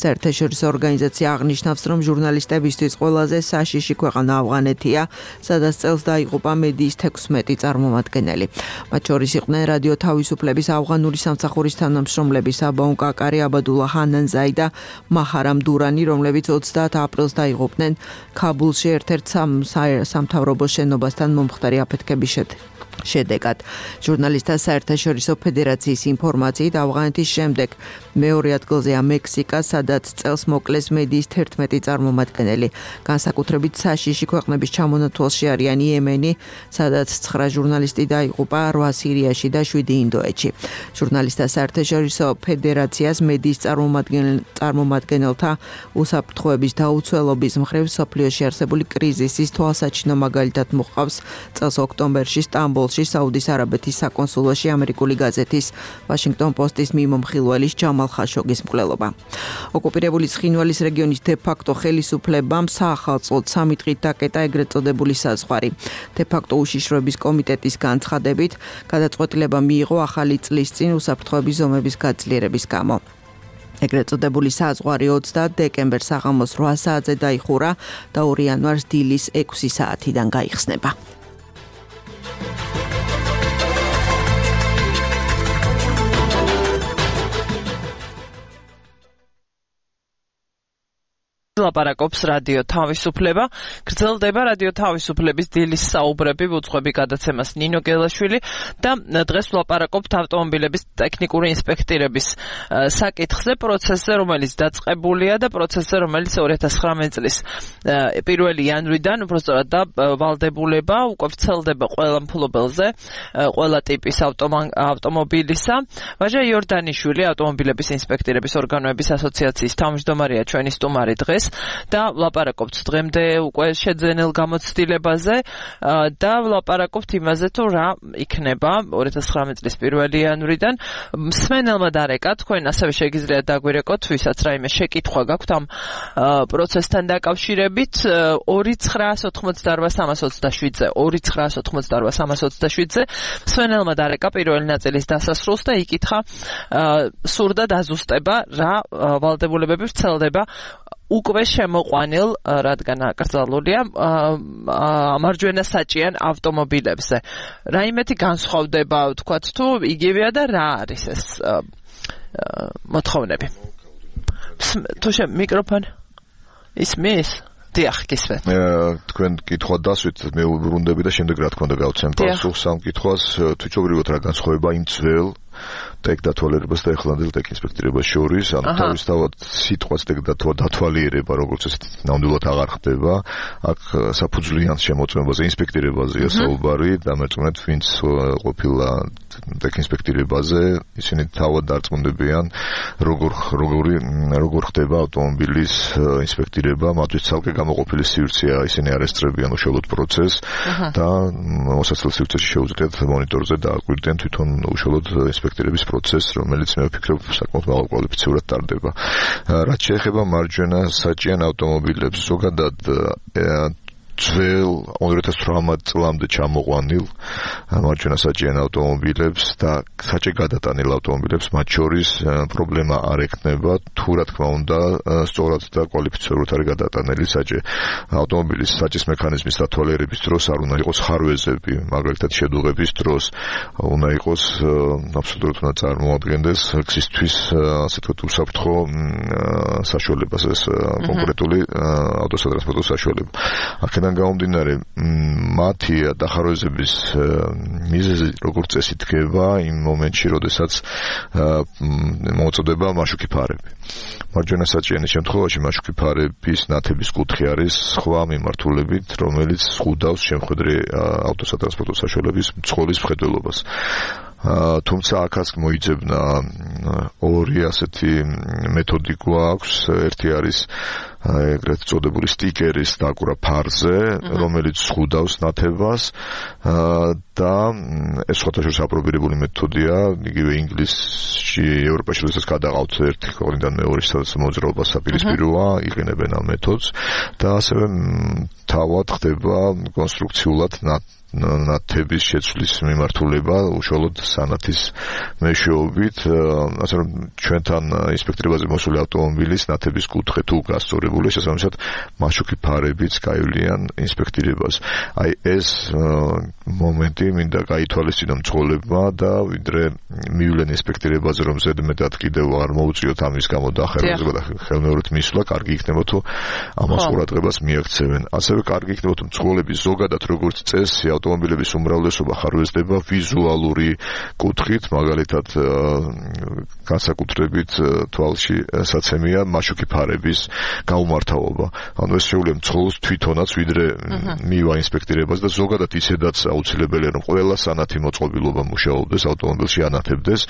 საერთაშორისო ორგანიზაცია აღნიშნავს, რომ ჟურნალისტებისთვის ყველაზე საშიში ქვეყანა ავღანეთია, სადაც წელს დაიღუპა მედიის თექვსმეტი წარმომადგენელი. მათ შორის იყვნენ რადიო თავისუფლების ავღანური სამსახურის თანამშრომლები საბაუნ კაკარი, აბადულა ჰანანზაი და მაჰარამ დურანი, რომლებიც ოცდაათ აპრილს დაიღუპნენ ქაბულში ერთ-ერთ სამთავრობო შენობასთან მომხდარი აფეთქების შედეგად. შედეგად. ჟურნალისტთა საერთაშორისო ფედერაციის ინფორმაციით ავღანეთის შემდეგ მეორე ადგილზეა მექსიკა, სადაც წელს მოკლეს მედიის თერთმეტი წარმომადგენელი. განსაკუთრებით საშიში ქვეყნების ჩამონათვალში არიან იემენი, სადაც ცხრა ჟურნალისტი დაიღუპა, რვა სირიაში და შვიდი ინდოეთში. ჟურნალისტთა საერთაშორისო ფედერაციას მედიის წარმომადგენელთა უსაფრთხოების დაუცველობის მხრივ სოფლიოში არსებული კრიზისის თვალსაჩინო მაგალითად მოყავს წელს ოქტომბერში სტამბოლში საუდის არაბეთის საკონსულოში ამერიკული გაზეთის ვაშინგტონ პოსტის მიმომხილველის ჯამალ ხაშოგის მკვლელობა. ოკუპირებული ცხინვალის რეგიონის დე-ფაქტო ხელისუფლებამ საახალწლოდ სამი დღით დაკეტა ეგრეთ წოდებული საზღვარი. დე-ფაქტო უშიშროების კომიტეტის განცხადებით, გადაწყვეტილება მიიღო ახალი წლის წინ უსაფრთხოების ზომების გაძლიერების გამო. ეგრეთ წოდებული საზღვარი ოცდაათი დეკემბერს საღამოს რვა საათზე დაიხურა და ორი იანვარს დილის ექვსი საათიდან გაიხსნება. ლაპარაკობს რადიო თავისუფლება. გრძელდება რადიო თავისუფლების დილის საუბრები, უძღვები გადაცემას ნინო გელაშვილი და დღეს ლაპარაკობთ ავტომობილების ტექნიკური ინსპექტირების საკითხზე, პროცესზე, რომელიც დაწყებულია და პროცესზე, რომელიც ორი ათას ცხრამეტი წლის პირველი იანვრიდან უბრალოდ და ვალდებულება უკვე ვრცელდება ყველა მფლობელზე, ყველა ტიპის ავტომობილისა. ვაჟა იორდანიშვილი, ავტომობილების ინსპექტირების ორგანოების ასოციაციის თავმჯდომარეა ჩვენი სტუმარი დღეს. და ვლაპარაკობთ დღემდე უკვე შეძენილ გამოცდილებაზე და ვლაპარაკობთ იმაზე თუ რა იქნება ორი ათას ცხრამეტი წლის პირველი იანვრიდან. მსმენელმა დარეკა, თქვენ ასევე შეგიძლიათ დაგვირეკოთ, ვისაც რაიმე შეკითხვა გაქვთ ამ პროცესთან დაკავშირებით ორი ცხრაას ოთხმოცდარვა სამას ოცდაშვიდზე ორი ცხრაას ოთხმოცდარვა სამას ოცდაშვიდზე მსმენელმა დარეკა პირველი ნაწილის დასასრულს და იკითხა სურდა დაზუსტება რა ვალდებულებები ვრცელდება უკვე შემოყვანილ, რადგან აკრძალულია მარჯვენა საჭიან ავტომობილებზე. რაიმეთი განსხვავდება, ვთქვათ, თუ იგივეა და რა არის ეს მოთხოვნები. თუ შე მიკროფონი ისმის? დიახ, გისმენთ. თქვენ კითხვა დასვით, მე ვუბრუნდები და შემდეგ რა თქმა უნდა გავცემ პასუხს ამ კითხვას. თვითობრივად რა განსხვავება იმ ძველ ტექ დათვალიერებას და ეხლანდელ ტექ ინსპექტირებას შორის, ანუ თავისთავად სიტყვაც ტექ დათვალიერება, როგორც ესეთი ნამდვილად აღარ ხდება. აქ საფუძვლიან შემოწმებაზე, ინსპექტირებაზეა საუბარი, დამერწმუნეთ, ვინც ყოფილა ტექ ინსპექტირებაზე, ისინი თავად დარწმუნდებიან, როგორ როგორი როგორ ხდება ავტომობილის ინსპექტირება, მათთვის ცალკე გამოყოფილი სივრცეა, ისინი არ ესწრებიან უშუალოდ პროცესს და მოსაცილ სივრცეში შეუძლიათ მონიტორზე დააკვირდნენ თვითონ უშუალოდ ინსპექტირების პროცესს, რომელიც მე ვფიქრობ საკმაოდ მაღალკვალიფიციურად ტარდება. რაც შეეხება მარჯვენა საჭიან ავტომობილებს, ზოგადად ძველ ორი ათას ცხრამეტ წლამდე ჩამოყვანილ მარჯვენა საჭიან ავტომობილებს და საჭე გადატანილ ავტომობილებს მათ შორის პრობლემა არ ექნება, თუ რა თქმა უნდა სწორად და კვალიფიცირებულად არის გადატანილი საჭე. ავტომობილის საჭის მექანიზმის დათვალიერების დროს არ უნდა იყოს ხარვეზები, მაგალითად შედუღების დროს უნდა იყოს აბსოლუტურად უნდა წარმოადგენდეს გზისთვის ასე ვთქვათ უსაფრთხო საშუალებას, ეს კონკრეტული ავტოსატრანსპორტო საშუალება. აქედან გამომდინარე, მათი დახარვეზების მიზეზი როგორც წესი დგება იმ მომენტში, როდესაც მოწოდება მაშუკი ფარები. მარჯვენა საჭიანის შემთხვევაში მაშუკი ფარების ნათების კუთხე არის სხვა მიმართულებით, რომელიც ზღუდავს შემხედრე ავტოსატრანსპორტო საშუალების მძღოლის მხედველობას. თუმცა აქაც მოიძებნა ორი ასეთი მეთოდი გვაქვს, ერთი არის ეგრეთ წოდებული სტიკერის დაკვრა ფარზე, რომელიც ზღუდავს ნათებას და ეს სხვადასხვა აპრობირებული მეთოდია, იგივე ინგლისში, ევროპაში როდესაც გადაყავთ ერთი ქვეყნიდან მეორეში, სადაც მოძრაობა საპირისპიროა, იყენებენ ამ მეთოდს და ასევე თავად ხდება კონსტრუქციულად ნათების შეცვლის მიმართულება უშუალოდ სანათის მეშვეობით, ასე რომ ჩვენთან ინსპექტირებაზე მოსული ავტომობილის ნათების კუთხე თუ გასწორებული, შესაბამისად მაშუკი ფარებიც გაივლიან ინსპექტირებას. აი ეს მომენტი მინდა გაითვალისწინო მძღოლებმა და ვიდრე მივლენ ესპექტირებაზე რომ ზედმეტად კიდევ არ მოუწიოთ ამის გამო დახერხება და ხელმეორედ მისვლა კარგი იქნება თუ ამას ყურადღებას მიაქცევენ. ასევე კარგი იქნება თუ მძღოლების ზოგადად როგორც წესი ავტომობილების უმრავლესობა ხარვეზდება ვიზუალური კუთხით, მაგალითად განსაკუთრებით თვალში საცემია მაშუკი ფარების გაუმართავობა. ანუ ეს შეუძლია მძღოლს თვითონაც ვიდრე მივა ინსპექტირებას და ზოგადად ისედაც აუცილებელია რომ ყველა სანათი მოწყობილობა მუშაობდეს ავტომობილში ანათებდეს,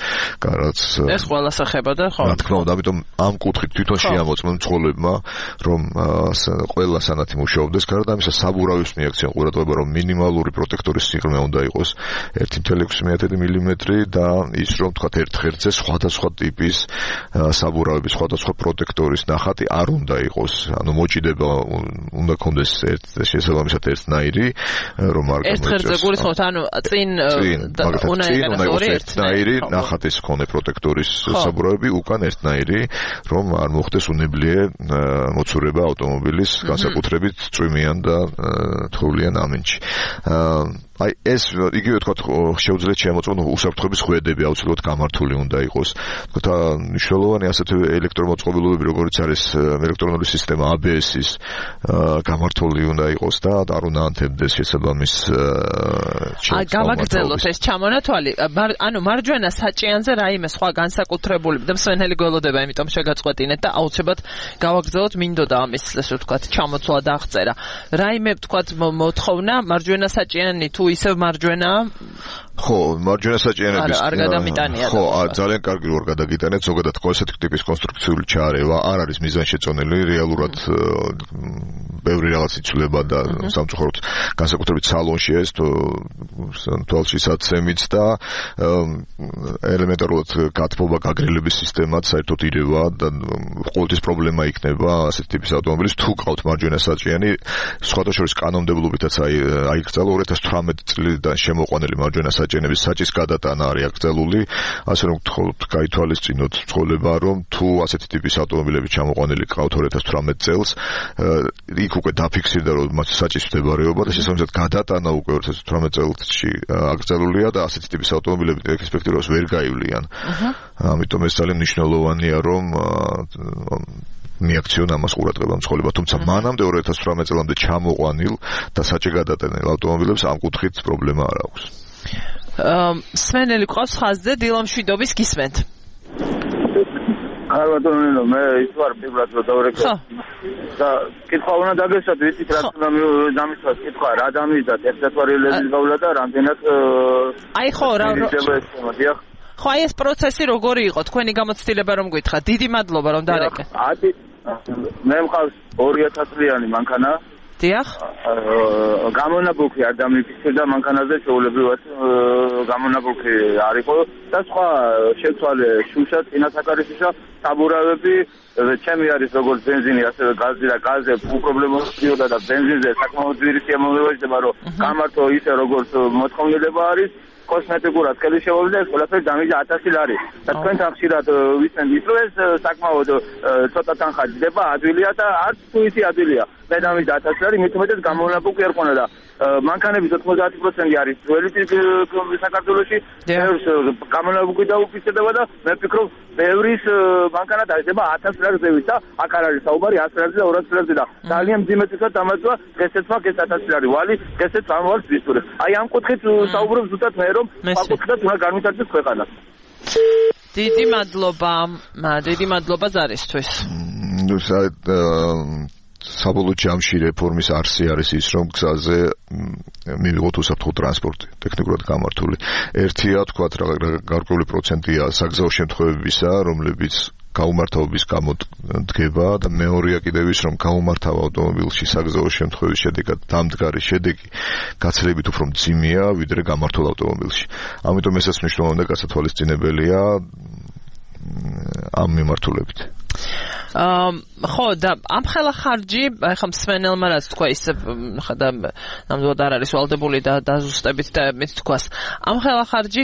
რაც ეს ყველა სახება და ხო. რა თქმა უნდა, ამიტომ ამ კუთხით თვითონ შეამოწმენ მძღოლებმა რომ ყველა სანათი მუშაობდეს, გარდა ამისა საბურავის მიაქცენ ყურადღება რომ მინიმალური პროტექტორის სიღრმე უნდა იყოს ერთი კoma ექვსი მილიმეტრი და ის რომ თქვა ერთ ღერძზე სხვადასხვა ტიპის საბურავების სხვადასხვა პროტექტორის ნახატი არ უნდა იყოს. ანუ მოჭიდება უნდა კონდეს ერთ შესაბამისად ერთნაირი რომ არ ერთ ღერძზე გულისხმობთ, ანუ წინ უნდა იყოს ერთნაირი ნახატის მქონე პროტექტორის საბურავები, უკან ერთნაირი რომ არ მოხდეს უნებლიე მოცურება ავტომობილის განსაკუთრებით წვიმიან და თოვლიან ამინჩი. აი ეს იგივე თქვა შეუძლიათ შემოწმონ უსაფრთხოების ხვედები აუცილებლად გამართული უნდა იყოს. თქვა მნიშვნელოვანი ასეთი ელექტრომოწყობილობები როგორც არის ელექტრონული სისტემა A B S-ის გამართული უნდა იყოს და არ უნდა ანთებდეს შესაბამის აი გამაგრძელოთ ეს ჩამონათვალი. ანუ მარჯვენა საჭიანზე რაიმე სხვა განსაკუთრებული და მსვენელი გველოდება, იმიტომ შეგაწყვეტინეთ და აუცილებლად გავაგრძელოთ მინდოდა ამის ესე ვთქვათ ჩამოცვლა და აღწერა. რაიმე ვთქვათ მოთხოვნა მარჯვენა საჭიანი თუ ისევ მარჯვენა ხო, მარჯვენა საჭიანების არ გადამიტანია. ხო, ძალიან კარგი რომ გადაგიტანეთ, ზოგადად ხო ესეთი ტიპის კონსტრუქციული ჩარევა არ არის მიზანშეწონილი, რეალურად ბევრი რაღაც იცვლება და სამწუხაროდ განსაკუთრებით სალონში ეს თვალში საცემიც და ელემენტარულად გათბობა გაგრილების სისტემაც საერთოდ ირევა და ყოველთვის პრობლემა იქნება ასეთი ტიპის ავტომობილის თუ ყავთ მარჯვენა საჭიანი, სხვათა შორის კანონმდებლობითაც აიკრძალა ორი ათას თვრამეტი წლიდან შემოყვანილი მარჯვენა საჭიანების საჭის გადატანა არის აკრძალული, ასე რომ გთხოვთ გაითვალისწინოთ მძღოლება რომ თუ ასეთი ტიპის ავტომობილები ჩამოყვანილი ყავთ ორი ათას თვრამეტი წელს, იქ უკვე დაფიქსირდა რომ მათ საჭის მდებარეობა და შესაბამისად გადატანა უკვე ორი ათას თვრამეტი წელში აკრძალულია და ასეთი ტიპის ავტომობილები ექსპექტირებას ვერ გაივლიან. ამიტომ ეს ძალიან მნიშვნელოვანია რომ მიაქციონ ამას ყურადღება მძღოლება, თუმცა მანამდე ორი ათას თვრამეტი წლამდე ჩამოყვანილ და საჭე გადატანილ ავტომობილებს ამ კუთხით პრობლემა არ აქვს. სვენელი ყავს ხაზზე დილამშვიდობის გისმენთ. არ ვატონინო, მე ის ვარ პირველად რომ დავრეკო. და კითხვა უნდა დაგესვათ, ვიცით რა თქმა უნდა დამისვათ კითხვა, რა დამისვათ, ერთად ვარიელები გავლა და რამდენად აი ხო, რა ხო, აი ეს პროცესი როგორი იყო? თქვენი გამოცდილება რომ გითხრათ. დიდი მადლობა რომ დარეკე. ათი მე მყავს ორი ათას წლიანი მანქანა. დიახ. გამონაბუქი არ დამიფიქრდა მანქანაზე შეულებრივად გამონაბუქი არ იყო და სხვა შეცვალე შუშა წინასაკარისისა საბურავები ჩემი არის როგორც ბენზინი ასევე გაზი და გაზზე უპრობლემოა და ბენზინზე საკმაოდ ძვირი სიამოვნება ხდება რომ გამართო ისე როგორც მოთხოვნილება არის კოსმეტიკურად ხელი შეუძლია ეს ყველაფერი დამიჯა ათასი ლარი და თქვენთან ხშირად ვიცენ ის რომ ეს საკმაოდ ცოტა თანხა ჯდება ადვილია და არც თუ ისი ადვილია მე დამიჯა ათასი ლარი მით უმეტეს გამონაბუქი არ ქონა და მანქანების ოცდაათი პროცენტი არის ძველი საქართველოში გამონაბუქი დაუფიქსირდება და მე ვფიქრობ ბევრის მანქანა დაიდება ათას ლარს ზევით და აქ არ არის საუბარი ათას ლარზე და ორასი ლარზე და ძალიან მძიმედ დამაწვა დღესაც მაგ ეს ათასი ლარი ვალი დღესაც ამ ვალს ვისურვებ აი ამ კუთხით საუბრობ ზუსტად მე რომ საკუთრად უნდა განვითარდეს ქვეყანა დიდი მადლობა დიდი მადლობა ზარისთვის ნუ საბოლოო ჯამში რეფორმის არსი არის ის რომ გზაზე მივიღოთ უსაფრთხო ტრანსპორტი ტექნიკურად გამართული ერთია თქვა გარკვეული პროცენტია საგზაო შემთხვევებისა რომლებიც გაუმართავობის გამო დგება და მეორეა კიდევ ის რომ გაუმართავ ავტომობილში საგზაო შემთხვევის შედეგად დამდგარი შედეგი გაცილებით უფრო მძიმეა ვიდრე გამართულ ავტომობილში ამიტომ ესაც მნიშვნელოვანი და გასათვალისწინებელია ამ მიმართულებით ხო და ამ ხელა ხარჯი ახლა მსმენელმა რაც თქვა ისე ხა ნამდვილად არ არის ვალდებული და დაზუსტებით და მეც თქვას ამ ხელა ხარჯი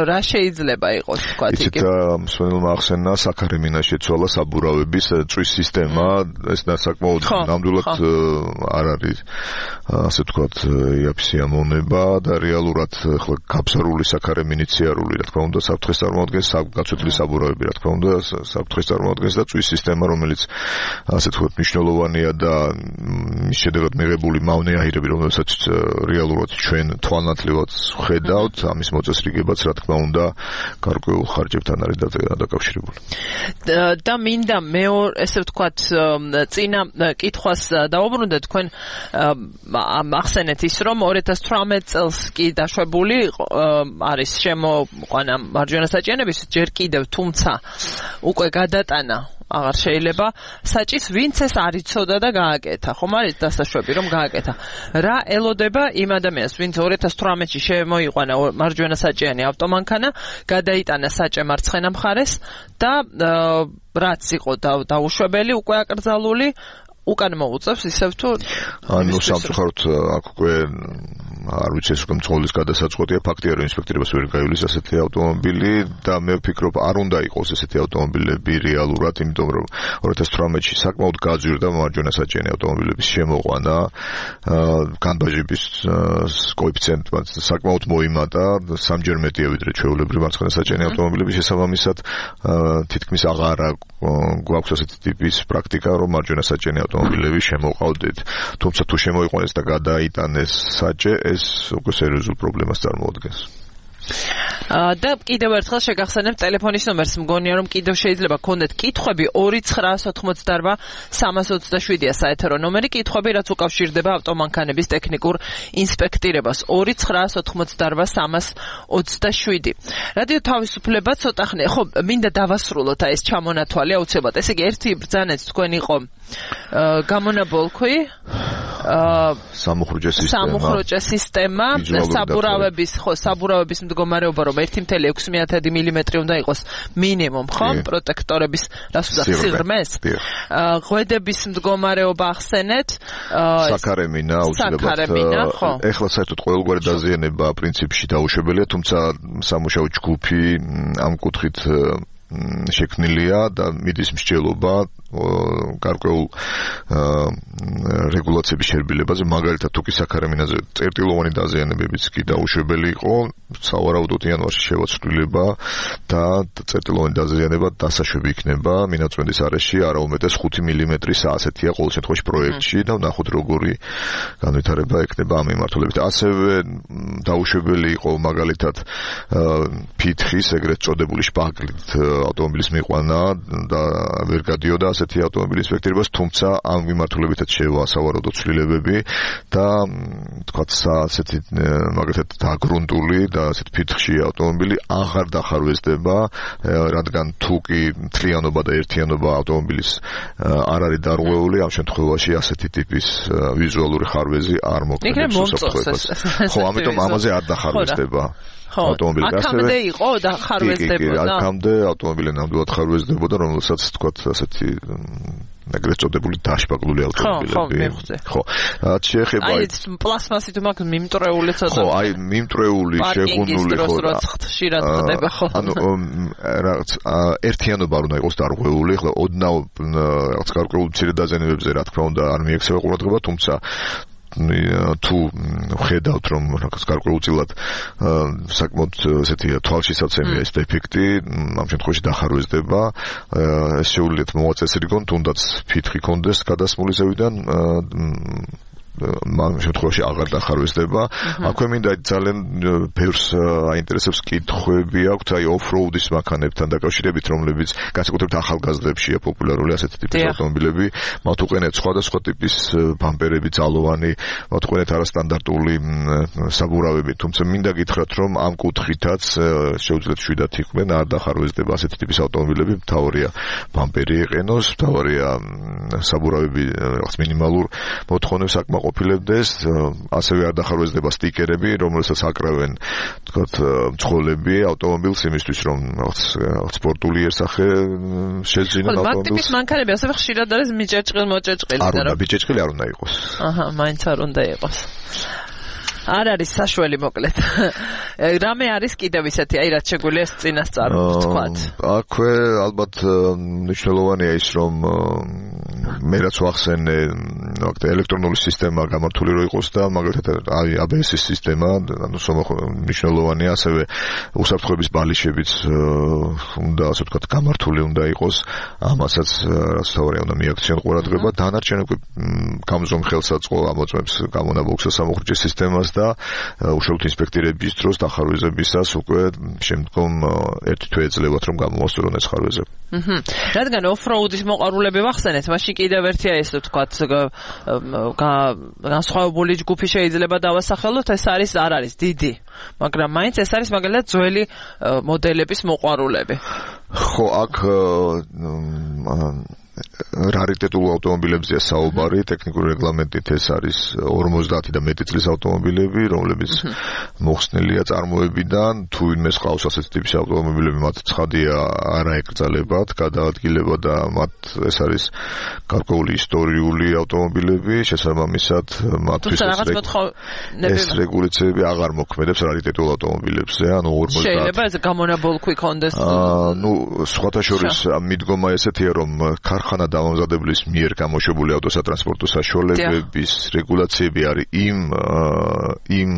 რა შეიძლება იყოს თქვა იგი იცით მსმენელმა ახსენა საქარემინა შეცვალა საბურავების წვის სისტემა ეს საკმაოდ ნამდვილად არ არის ასე ვთქვათ იაფსი ამონება და რეალურად ახლა გაბზარული საქარემინი ციარული რა თქმა უნდა საფრთხეს წარმოადგენს გაცვეთილი საბურავები რა თქმა უნდა საფრთხეს წარმოადგენს და წვის სისტემა რომელიც ასე ვთქვათ მნიშვნელოვანია და მის შედეგად მიღებული მავნე აირები რომელსაც რეალურად ჩვენ თვალნათლივად ხედავთ ამის მოწესრიგებაც რა თქმა უნდა გარკვეულ ხარჯებთან არის დაკავშირებული და მინდა მეორე ესე ვთქვათ წინა კითხვას დავუბრუნდეთ თქვენ ახსენეთ ის რომ ორი ათას თვრამეტ წელს კი დაშვებული არის შემოყვანა მარჯვენა საჭიანების ჯერ კიდევ თუმცა უკვე გადატანა აღარ შეიძლება საჭის ვინც ეს არ იცოდა და გააკეთა ხომ არის დასაშვები რომ გააკეთა რა ელოდება იმ ადამიანს ვინც ორი ათას თვრამეტში შემოიყვანა მარჯვენა საჭიანი ავტომანქანა გადაიტანა საჭე მარცხენა მხარეს და რაც იყო დაუშვებელი უკვე აკრძალული უკან მოუწევს ისევ თუ ანუ სამწუხაროდ აქ უკვე არ ვიცი ეს უკვე მწოლის გადასაწყვეტია ფაქტია რომ ინსპექტორებს ვერ გაივლის ასეთი ავტომობილი და მე ვფიქრობ არ უნდა იყოს ესეთი ავტომობილები რეალურად იმიტომ რომ ორი ათას თვრამეტში საკმაოდ გაძვირდა მარჯვენა საჭიანი ავტომობილების შემოყვანა განბაჟების კოეფიციენტი საკმაოდ მოიმატა სამჯერ მეტია ვიდრე ჩვეულებრივი მარცხენა საჭიანი ავტომობილების შესაბამისად თითქმის აღარ გვაქვს ასეთი ტიპის პრაქტიკა რომ მარჯვენა საჭიანი ავტომობილები შემოყავდეთ თუმცა თუ შემოიყვანეს და გადაიტანეს საჭე ეს უკვე სერიოზულ პრობლემას წარმოადგენს და კიდევ ერთხელ შეგახსენებ ტელეფონის ნომერს მგონია რომ კიდევ შეიძლება გქონდეთ კითხვები ორი ცხრაას ოთხმოცდარბა სამას ოცდაშვიდია საეთერო ნომერი კითხვები რაც უკავშირდება ავტომანქანების ტექნიკურ ინსპექტირებას ორი ცხრაას ოთხმოცდარბა სამას ოცდაშვიდი რადიო თავისუფლება ცოტა ხნე ხო მინდა დავასრულოთ აი ეს ჩამონათვალი აუცილებლად ესე იგი ერთი ბრძანეთ თქვენ იყო გამონაბოლქვი სამუხრუჭე სისტემა სამუხრუჭე სისტემა საბურავების ხო საბურავების მდგომარეობა რომ ერთი კoma ექვსი მილიმეტრი უნდა იყოს მინიმუმ ხო პროტექტორების რას უნდა სიღრმეს ღვედების მდგომარეობა ახსენეთ საქარემინა აუცილებლად ეხლა საერთოდ ყოველგვარი დაზიანება პრინციპში დაუშვებელია თუმცა სამუშაო ჯგუფი ამ კუთხით შექმნილია და მიდის მსჯელობა გარკვეულ რეგულაციების შერბილებაზე მაგალითად თუ კი საქარემინაზე წერტილოვანი დაზიანებებიც კი დაუშვებელი იყო სავარაუდოდ იანვარში შევაცვლილება და წერტილოვანი დაზიანება დასაშვები იქნება მინაწვენდის არეში არა უმეტეს ხუთი მილიმეტრი ასეთია ყოველ შემთხვევაში პროექტში და ვნახოთ როგორი განვითარება ექნება ამ მიმართულებით ასევე დაუშვებელი იყო მაგალითად ფითხის ეგრეთ წოდებული შპაგლით ავტომობილის მიყვანა და ვერ გადიოდა ასეთი ავტომობილის ინსპექტირებას, თუმცა ამ მიმართულებითაც შევა სავარაუდო ცვლილებები და თქვათ ასეთი მაგალითად დაგრუნტული და ასეთ ფითხში ავტომობილი აღარ დახარვეზდება, რადგან თუ კი მთლიანობა და ერთიანობა ავტომობილის არ არის დარღვეული, ამ შემთხვევაში ასეთი ტიპის ვიზუალური ხარვეზი არ მოქმედებს უსაფრთხოებას. ხო, ამიტომ ამაზე არ დახარვეზდება. ავტომობილი აქამდე იყო და ხარვეზდებოდა. აქამდე ავტომობილი ნამდვილად ხარვეზდებოდა, რომელსაც თქვათ ასეთი ეგრეთ წოდებული დაშპაგლული ავტომობილები. ხო, რაც შეეხება აი პლასმასით მაგ მიმტრეული ცოტა. ხო, აი მიმტრეული, შეგუნული ხო. ხშირად ხდება ხო. ანუ რაღაც ერთიანობა არ უნდა იყოს დარღვეული, ახლა ოდნავ რაღაც გარკვეულ მცირე დაზიანებებზე რა თქმა უნდა არ მიექცევა ყურადღება, თუმცა თუ ხედავთ რომ რაღაც გარკვეულწილად საკმაოდ ესეთი თვალშისაცემია ეს დეფექტი ამ შემთხვევაში დახარვეზდება ეს შეუძლიათ მოაწესრიგონ თუნდაც ფითხი კონდეს გადასმული ზევიდან ამ შემთხვევაში აღარ დახარვეზდება. აქვე მინდა ძალიან ბევრს აინტერესებს კითხვები აქვთ აი ოფროუდის მანქანებთან დაკავშირებით, რომლებიც განსაკუთრებით ახალგაზრდებშია პოპულარული ასეთი ტიპის ავტომობილები. მათ უყენეთ სხვადასხვა ტიპის ბამპერები, ძალოვანი, მათ უყენეთ არასტანდარტული საბურავები, თუმცა მინდა გითხრათ, რომ ამ კუთხითაც შეუძლიათ შვიდათ იყვნენ, არ დახარვეზდება ასეთი ტიპის ავტომობილები, მთავარია ბამპერი იყენოს, მთავარია საბურავები რაღაც მინიმალურ მოთხოვნებს აკმაყოფილოს აკმაყოფილებდეს, ასევე არ დახარვეზდება სტიკერები, რომელსაც აკრავენ, თქვათ, მძღოლები ავტომობილს იმისთვის, რომ სპორტული იერსახე შეძინონ ავტომობილს. მაგტიპის მანქანები ასევე ხშირად არის მიჭეჭყილ მოჭეჭყილი და რა. არ უნდა მიჭეჭყილი არ უნდა იყოს. აჰა, მაინც არ უნდა იყოს. არ არის საშველი მოკლედ. რამე არის კიდევ ისეთი, აი რაც შეგვიძლია წინასწარ ვთქვათ. აქვე ალბათ მნიშვნელოვანია ის, რომ მე რაც ვახსენე, ვაქტე ელექტრონული სისტემა გამართული რო იყოს და მაგალითად აი эй ბი ეს-ის სისტემა, ანუ მნიშვნელოვანია, ასევე უსაფრთხოების ბალიშებიც უნდა, ასე ვთქვათ, გამართული უნდა იყოს. ამასაც რაც თავარია უნდა მიაქციონ ყურადღება, დანარჩენ უკვე გამზომ ხელსაწყო ამოწმებს გამონაბოლქვსა სამუხრჯე სისტემას და უშუალოდ ინსპექტირების დროს დახარვეზებისას უკვე შემდგომ ერთი თვე ეძლევათ რომ გამოვასწორონ ეს ხარვეზები. აჰა. რადგან ოფროუდის მოყვარულები ვახსენეთ, მაშინ კიდევ ერთია ეს ვთქვათ განსხვავებული ჯგუფი შეიძლება დავასახელოთ, ეს არის არ არის დიდი, მაგრამ მაინც ეს არის მაგალითად ძველი მოდელების მოყვარულები. ხო, აქ რარიტეტულ ავტომობილებზეა საუბარი, ტექნიკური რეგლამენტით ეს არის ორმოცდაათი და მეტი წლის ავტომობილები, რომლებიც მოხსნილია წარმოებიდან, თუ ვინმეს ყავს ასეთი ტიპის ავტომობილები, მათ ცხადია არ აეკრძალებათ, გადაადგილება და მათ ეს არის გარკვეული ისტორიული ავტომობილები, შესაბამისად მათთვის ეს რეგულაციები აღარ მოქმედებს რარიტეტულ ავტომობილებზე, ანუ ორმოცდაათი. შეიძლება ეს გამონაბოლქვი კონდეს. ნუ სხვათა შორის მიდგომა ესეთია, რომ ხანა დამამზადებლის მიერ გამოშვებული ავტოსატრანსპორტო საშუალებების რეგულაციები არის იმ იმ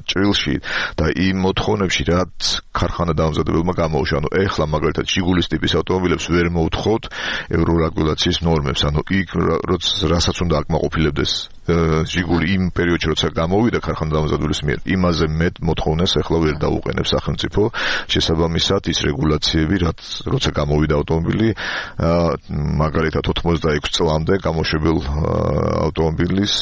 ჭრილში და იმ მოთხოვნებში, რაც ქარხანა დამამზადებელმა გამოუშვა. ანუ ეხლა მაგალითად ჟიგულის ტიპის ავტომობილებს ვერ მოუთხოთ ევრორეგულაციის ნორმებს, ანუ იქ რასაც უნდა აკმაყოფილებდეს ჟიგული იმ პერიოდში, როცა გამოვიდა ქარხანა დამამზადებლის მიერ, იმაზე მეტ მოთხოვნას ეხლა ვერ დაუყენებს სახელმწიფო. შესაბამისად ის რეგულაციები, რაც როცა გამოვიდა ავტომობილი, მაგალითად ოცდაექვსი წლამდე გამოშვებელ ავტომობილის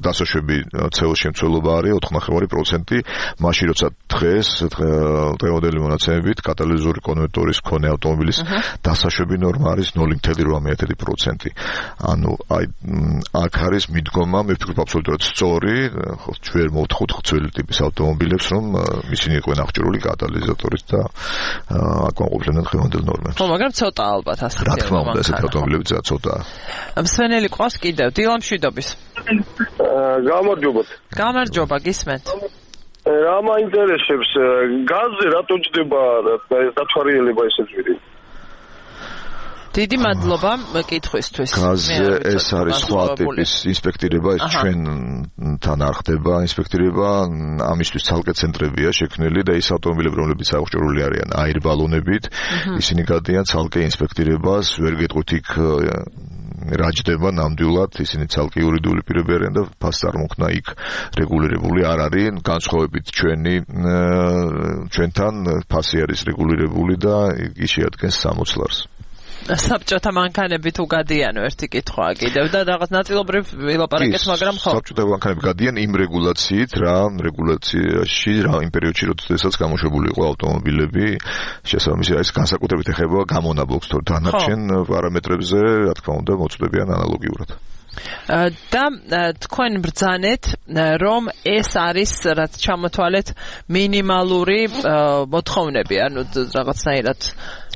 დასაშვები ცეოს შემცველობა არის ოთხ ნახევარი პროცენტი, მაშინ როცა დღეს დღევანდელი მონაცემებით კატალიზური კონვერტორის მქონე ავტომობილის დასაშვები ნორმა არის ნული ფاصლე რვა პროცენტი. ანუ აი აქ არის მიდგომა, მე ვფიქრობ აბსოლუტურად სწორი, ხო ჩვენ მოვთხოვთ ძველი ტიპის ავტომობილებს, რომ ისინი იყვნენ აღჭურვილი კატალიზატორით და აკმაყოფილებდნენ დღევანდელ ნორმებს. ხო, მაგრამ ცოტა ალბათ ასე. რა თქმა უნდა, ესეთი ავტომობილები ცოტაა. მსვენელი ყავს კიდევ დილამშვიდობის. გამარჯობათ. გამარჯობა, გისმენთ. რა მაინტერესებს, გაზზე რატო ჯდება დათვალიერება ესე ძვირი? დიდი მადლობა მეკითხვისთვის. გაზზე ეს არის სხვა ტიპის ინსპექტირება, ეს ჩვენთან არ ხდება ინსპექტირება, ამისთვის ცალკე ცენტრებია შექმნილი და ის ავტომობილები, რომლებიც აღჭურვილი არიან აირბალონებით, ისინი გადიან ცალკე ინსპექტირებას, ვერ გეტყვით იქ რა ჯდება ნამდვილად, ისინი ცალკე იურიდიული პირები არიან და ფასი წარმოქმნა იქ რეგულირებული არ არის, განსხვავებით ჩვენი ჩვენთან ფასი არის რეგულირებული და იგი შეადგენს სამოცდ ლარს. საბჭოთა მანქანები თუ გადიან ერთი კითხვაა კიდევ და რაღაც ნაწილობრივ ვილაპარაკეთ, მაგრამ ხო. საბჭოთა მანქანები გადიან იმ რეგულაციით, რა რეგულაციაში, რა იმ პერიოდში, როდესაც გამოშვებული იყო ავტომობილები, შესაბამისად ეს განსაკუთრებით ეხება გამონაბოლქვს, თორე დანარჩენ პარამეტრებზე, რა თქმა უნდა, მოწვდებიან ანალოგიურად. და თქვენ ბრძანეთ, რომ ეს არის რაც ჩამოთვალეთ მინიმალური მოთხოვნები, ანუ რაღაცნაირად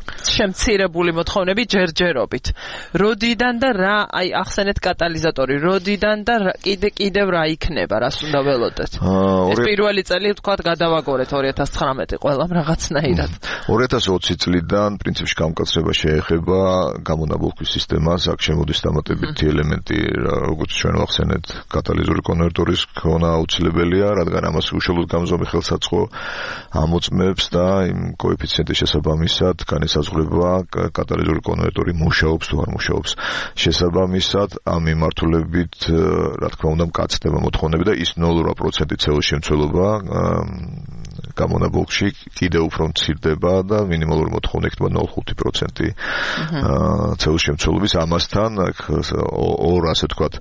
შემცირებული მოთხოვნები ჯერჯერობით. როდიდან და რა, აი ახსენეთ კატალიზატორი, როდიდან და კიდე კიდევ რა იქნება, რას უნდა ველოდეთ? ეს პირველი წელი ვთქვათ გადავაგორეთ ორი ათას ცხრამეტი ყველამ რაღაცნაირად. ორი ათას ოცი წლიდან პრინციპში გამკაცრება შეეხება გამონაბოლქვის სისტემას, აქ შემოდის დამატებითი ელემენტი, როგორც ჩვენ ვახსენეთ, კატალიზური კონვერტორის ქონა აუცილებელია, რადგან ამას უშუალოდ გამზომი ხელსაწყო ამოწმებს და იმ კოეფიციენტის შესაბამისად განისაზღვრება კატალიზური კონვერტორი მუშაობს თუ არ მუშაობს. შესაბამისად ამ მიმართულებით რა თქმა უნდა მკაცდება მოთხოვნები და ის ნული პროცენტი ცეოს შემცველობა გამონაბოლქში კიდევ უფრო მცირდება და მინიმალური მოთხოვნა იქნება ნული ხუთი პროცენტი ცელსიემცველობის. ამასთან ორ ასე ვთქვათ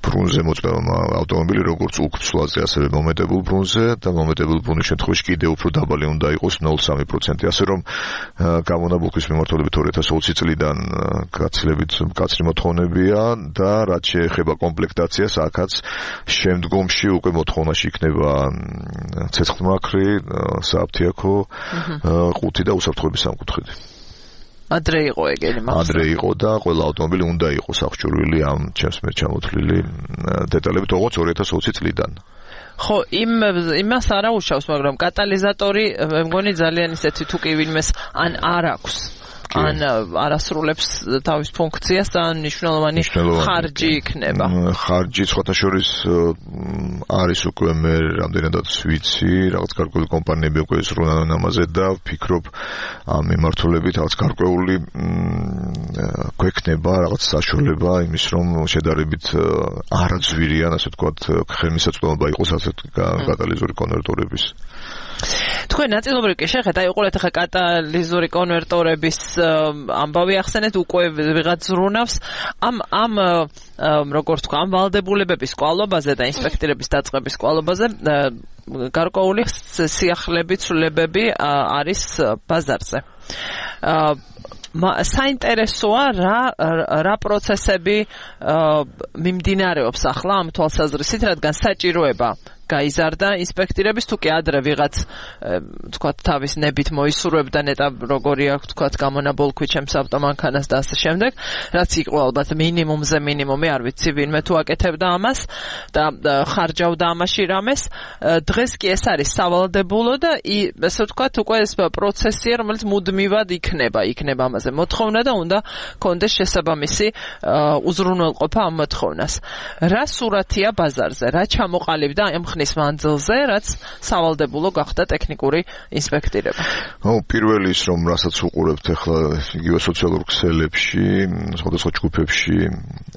ბრუნზე მოწვევა ავტომობილი როგორც უკცვლაზე ასევე მომეტებულ ბრუნზე და მომეტებულ ბრუნის შემთხვევაში კიდევ უფრო დაბალი უნდა იყოს ნული ხუთი სამი პროცენტი. ასე რომ გამონაბოლქის მიმართულებით ორი ათას ოცი წლიდან გაცილებით მკაცრი მოთხოვნებია და რაც შეეხება კომპლექტაციას, აქაც შემდგომში უკვე მოთხოვნაში იქნება ცეცხლმაქრი, სააფთიაქო, ყუთი და უსაფრთხოების სამკუთხედი. ადრე იყო ეგენი მაგას. ადრე იყო და ყველა ავტომობილი უნდა იყოს აღჭურვილი ამ ჩემს მე ჩამოთვლილი დეტალებით როგორც ორი ათას ოცი წლიდან. ხო, იმ იმას არ აუშავს, მაგრამ კატალიზატორი მე მგონი ძალიან ისეთი თუ კი ვინმეს ან არ აქვს ან არასრულებს თავის ფუნქციას და მნიშვნელოვანი ხარჯი იქნება. ხარჯი სხვათა შორის არის უკვე მე რამდენადაც ვიცი, რაღაც გარკვეული კომპანიები უკვე ზრუნავენ ამაზე და ვფიქრობ ამ მიმართულებით რაღაც გარკვეული გვექნება რაღაც საშუალება იმის რომ შედარებით არაძვირიან, ასე ვთქვათ, ხელმისაწვდომობა იყოს ასეთ კატალიზური კონვერტორების. თქვენ ნაწილობრივ კი შეხეთ, აი უყურეთ ახლა კატალიზური კონვერტორების ამბავი ახსენეთ, უკვე ვიღაც ზრუნავს ამ ამ როგორც თქვა, ამ ვალდებულებების კვალობაზე და ინსპექტირების დაწყების კვალობაზე გარკვეული სიახლეები, ცვლილებები არის ბაზარზე. საინტერესოა რა რა პროცესები მიმდინარეობს ახლა ამ თვალსაზრისით, რადგან საჭიროება გაიზარდა ინსპექტირების თუ კი ადრე ვიღაც თქვა თავის ნებით მოისურვებდა ნეტა როგორი აქვს თქვა გამონაბოლქვი ჩემს ავტომანქანას და ასე შემდეგ, რაც იყო ალბათ მინიმუმზე მინიმუმი, არ ვიცი ვინმე თუ აკეთებდა ამას და ხარჯავდა ამაში რამეს. დღეს კი ეს არის სავალდებულო და ესე ვთქვათ უკვე ეს პროცესია, რომელიც მუდმივად იქნება, იქნება ამაზე მოთხოვნა და უნდა კონდეს შესაბამისი უზრუნველყოფა ამ მოთხოვნას. რა სურათია ბაზარზე, რა ჩამოყალიბდა ამ ხნის მანძილზე, რაც სავალდებულო გახდა ტექნიკური ინსპექტირება. ო, პირველი ის რომ რასაც უყურებთ ახლა იგივე სოციალურ ქსელებში, სხვადასხვა ჯგუფებში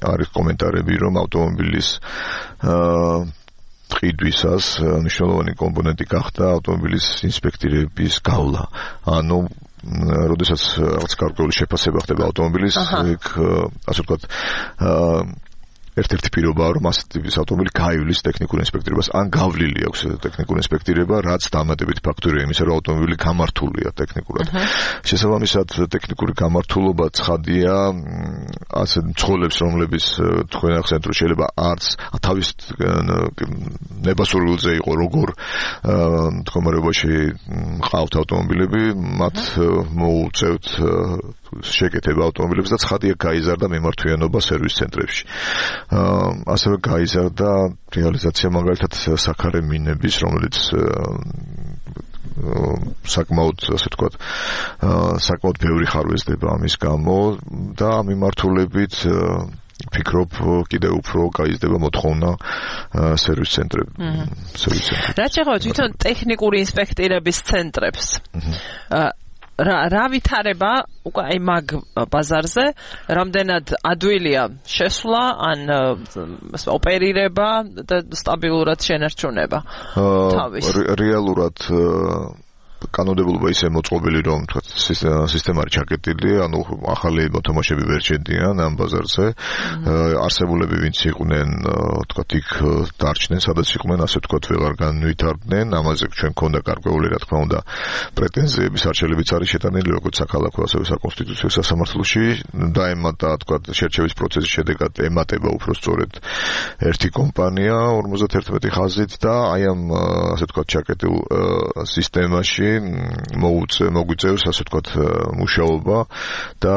არის კომენტარები, რომ ავტომობილის აა ყიდვისას მნიშვნელოვანი კომპონენტი გახდა ავტომობილის ინსპექტირების გავლა. ანუ როდესაც რაღაც გარკვეული შეფასება ხდება ავტომობილის, იქ ასე ვთქვათ აა ერთ-ერთი პირობაა, რომ ასეთი ტიპის ავტომობილი გაივლის ტექნიკურ ინსპექტირებას, ან გავლილი აქვს ტექნიკურ ინსპექტირება, რაც დამატებითი ფაქტორია იმისა, რომ ავტომობილი გამართულია ტექნიკურად. შესაბამისად, ტექნიკური გამართულობა ცხადია, ასე მცხოვრებს, რომლებიც თქვენ ახსენეთ, რომ შეიძლება არც თავის ნებასურვილზე იყო როგორ მდგომარეობაში ყავთ ავტომობილები, მათ მოუწევთ შეკეთება ავტომობილებს და ცხადია გაიზარდა მიმართვიანობა სერვის ცენტრებში. ასევე გაიზარდა რეალიზაცია მაგალითად საქარე მინების, რომელიც საკმაოდ ასე ვთქვათ, საკმაოდ ბევრი ხარვეზდება ამის გამო და ამ მიმართულებით ფიქრობ კიდევ უფრო გაიზრდება მოთხოვნა სერვის ცენტრებში. სერვის ცენტრებში. რა შეეხება თვითონ ტექნიკური ინსპექტირების ცენტრებს? რა რა ვითარება უკვე აი მაგ ბაზარზე, რამდენად ადვილია შესვლა ან ოპერირება და სტაბილურად შენარჩუნება თავის? რეალურად კანონმდებლობა ისე მოწყობილი, რომ თქვათ სისტემა არის ჩაკეტილი, ანუ ახალი მოთამაშეები ვერ შედიან ამ ბაზარზე. არსებულები ვინც იყვნენ, თქვათ იქ დარჩნენ, სადაც იყვნენ, ასე თქვათ ვეღარ განვითარდნენ. ამაზე ჩვენ გქონდა გარკვეული, რა თქმა უნდა, პრეტენზიების არჩელებიც არის შეტანილი, როგორც საქალაქო, ასევე საკონსტიტუციო სასამართლოში. დაემატა, თქვათ, შერჩევის პროცესის შედეგად ემატება უფრო სწორედ ერთი კომპანია ორმოცდაერთმეტი ხაზით და აი ამ ასე თქვათ ჩაკეტილ სისტემაში მოგვიწევს ასე ვთქვათ მუშაობა და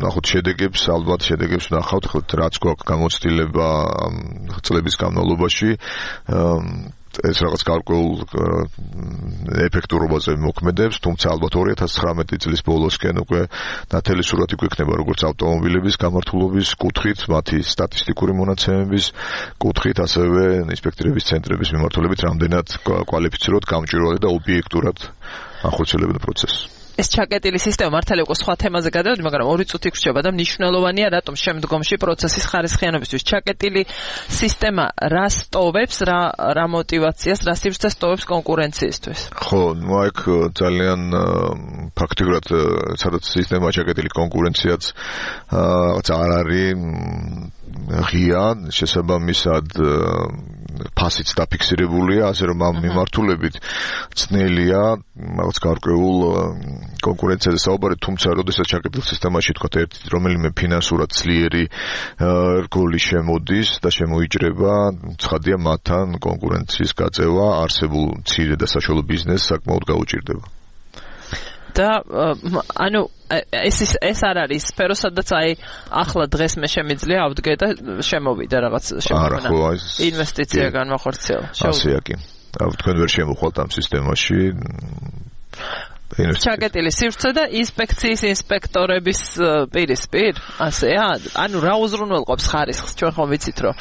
ნახოთ შედეგებს, ალბათ შედეგებს ვნახავთ, რაც გვაქვს გამოცდილება წლების განმავლობაში ეს რაღაც გარკვეულ ეფექტურობაზე მოქმედებს, თუმცა ალბათ ორი ათას ცხრამეტი წლის ბოლოსკენ უკვე ნათელი სურათი გვექნება როგორც ავტომობილების გამართულობის კუთხით, მათი სტატისტიკური მონაცემების კუთხით, ასევე ინსპექტირების ცენტრების მიმართულებით, რამდენად კვალიფიციროთ, გამჭვირვალე და ობიექტურად ახორციელებენ პროცესს. ეს ჩაკეტილი სისტემა მართალი უკვე სხვა თემაზე გადავედი, მაგრამ ორი წუთი გრჩება და მნიშვნელოვანია რატომ შემდგომში პროცესის ხარისხიანობისთვის. ჩაკეტილი სისტემა რა სტოვებს, რა რა мотиваციას, რა სივრცეს სტოვებს კონკურენციისთვის. ხო, ну აქ ძალიან ფაქტიურად სადაც სისტემა ჩაკეტილი კონკურენციაც რაღაც არ არის ღია, შესაბამისად ფასიც დაფიქსირებულია, ასე რომ ამ მიმართულებით ძნელია რაღაც გარკვეულ კონკურენციაზე საუბარი, თუმცა როდესაც ჩაკეტილ სისტემაში თქვა ერთი რომელიმე ფინანსურად ძლიერი რგოლი შემოდის და შემოიჭრება, ცხადია მათთან კონკურენციის გაწევა არსებულ მცირე და საშუალო ბიზნესს საკმაოდ გაუჭირდება. და ანუ ეს ეს არ არის სფერო, სადაც აი ახლა დღეს მე შემიძლია ავდგე და შემოვიდა რაღაც შემოვიდა ინვესტიცია განმახორციელა. ასეა კი. თქვენ ვერ შემოხვალთ ამ სისტემაში ჩაკეტილი სივრცე და ინსპექციის ინსპექტორების პირისპირ, ასეა? ანუ რა უზრუნველყოფს ხარისხს? ჩვენ ხომ ვიცით, რომ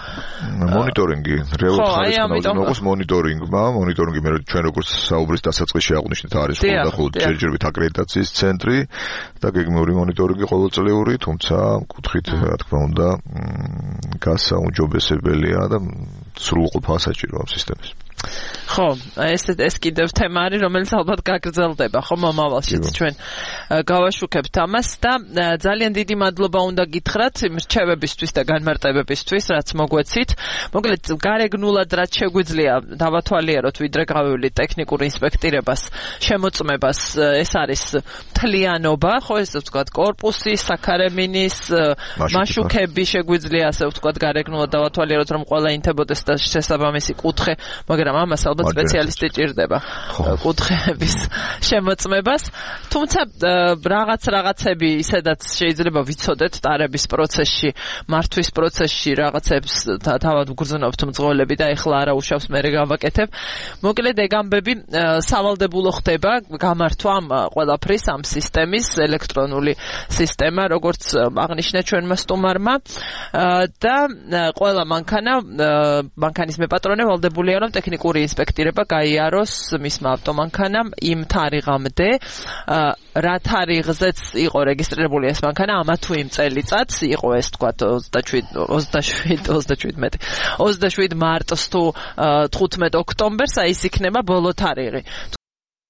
მონიტორინგი, რეალური ხარისხი უზრუნველყოფს მონიტორინგმა, მონიტორინგი მე ჩვენ როგორც საუბრის დასაწყისში აღვნიშნეთ არის ხოლმე ჯერჯერობით აკრედიტაციის ცენტრი და გეგმიური მონიტორინგი ყოველწლიური, თუმცა კუთხით რა თქმა უნდა გასაუმჯობესებელია და სრულყოფა საჭირო ამ სისტემის. ხო, ეს ეს კიდევ თემა არის, რომელიც ალბათ გაგრძელდება, ხო, მომავალშიც ჩვენ გავაშუქებთ ამას და ძალიან დიდი მადლობა უნდა გითხრათ იმ რჩევებისთვის და განმარტებებისთვის, რაც მოგვეცით. მოკლედ, გარეგნულად რაც შეგვიძლია დავათვალიეროთ, ვიდრე გავივლით ტექნიკურ ინსპექტირებას, შემოწმებას, ეს არის მთლიანობა, ხო, ესე ვთქვათ, კორპუსი, საქარემინის, მაშუქები შეგვიძლია, ასე ვთქვათ, გარეგნულად დავათვალიეროთ, რომ ყველა ინთებოდეს და შესაბამისი კუთხე, მაგრამ ამას ალბათ სპეციალისტი ჭირდება კუთხეების შემოწმებას. თუმცა რაღაც რაღაცები ისედაც შეიძლება ვიცოდეთ ტარების პროცესში, მართვის პროცესში რაღაცებს თავად ვგრძნობთ მძღოლები და ეხლა არა უშავს მე გავაკეთებ. მოკლედ ეგ ამბები სავალდებულო ხდება გამართვა ამ ყველაფრის ამ სისტემის ელექტრონული სისტემა, როგორც აღნიშნა ჩვენმა სტუმარმა და ყველა მანქანა მანქანის მეპატრონე ვალდებულია რომ ტექნიკური ინსპექტირება გაიაროს მისმა ავტომანქანამ იმ თარიღამდე, რა თარიღზეც იყო რეგისტრირებული ეს მანქანა, ამა თუ იმ წელიწადს იყო ეს თქვათ ოცდაშვიდ მარტს თუ თხუთმეტ ოქტომბერს, აი ეს იქნება ბოლო თარიღი.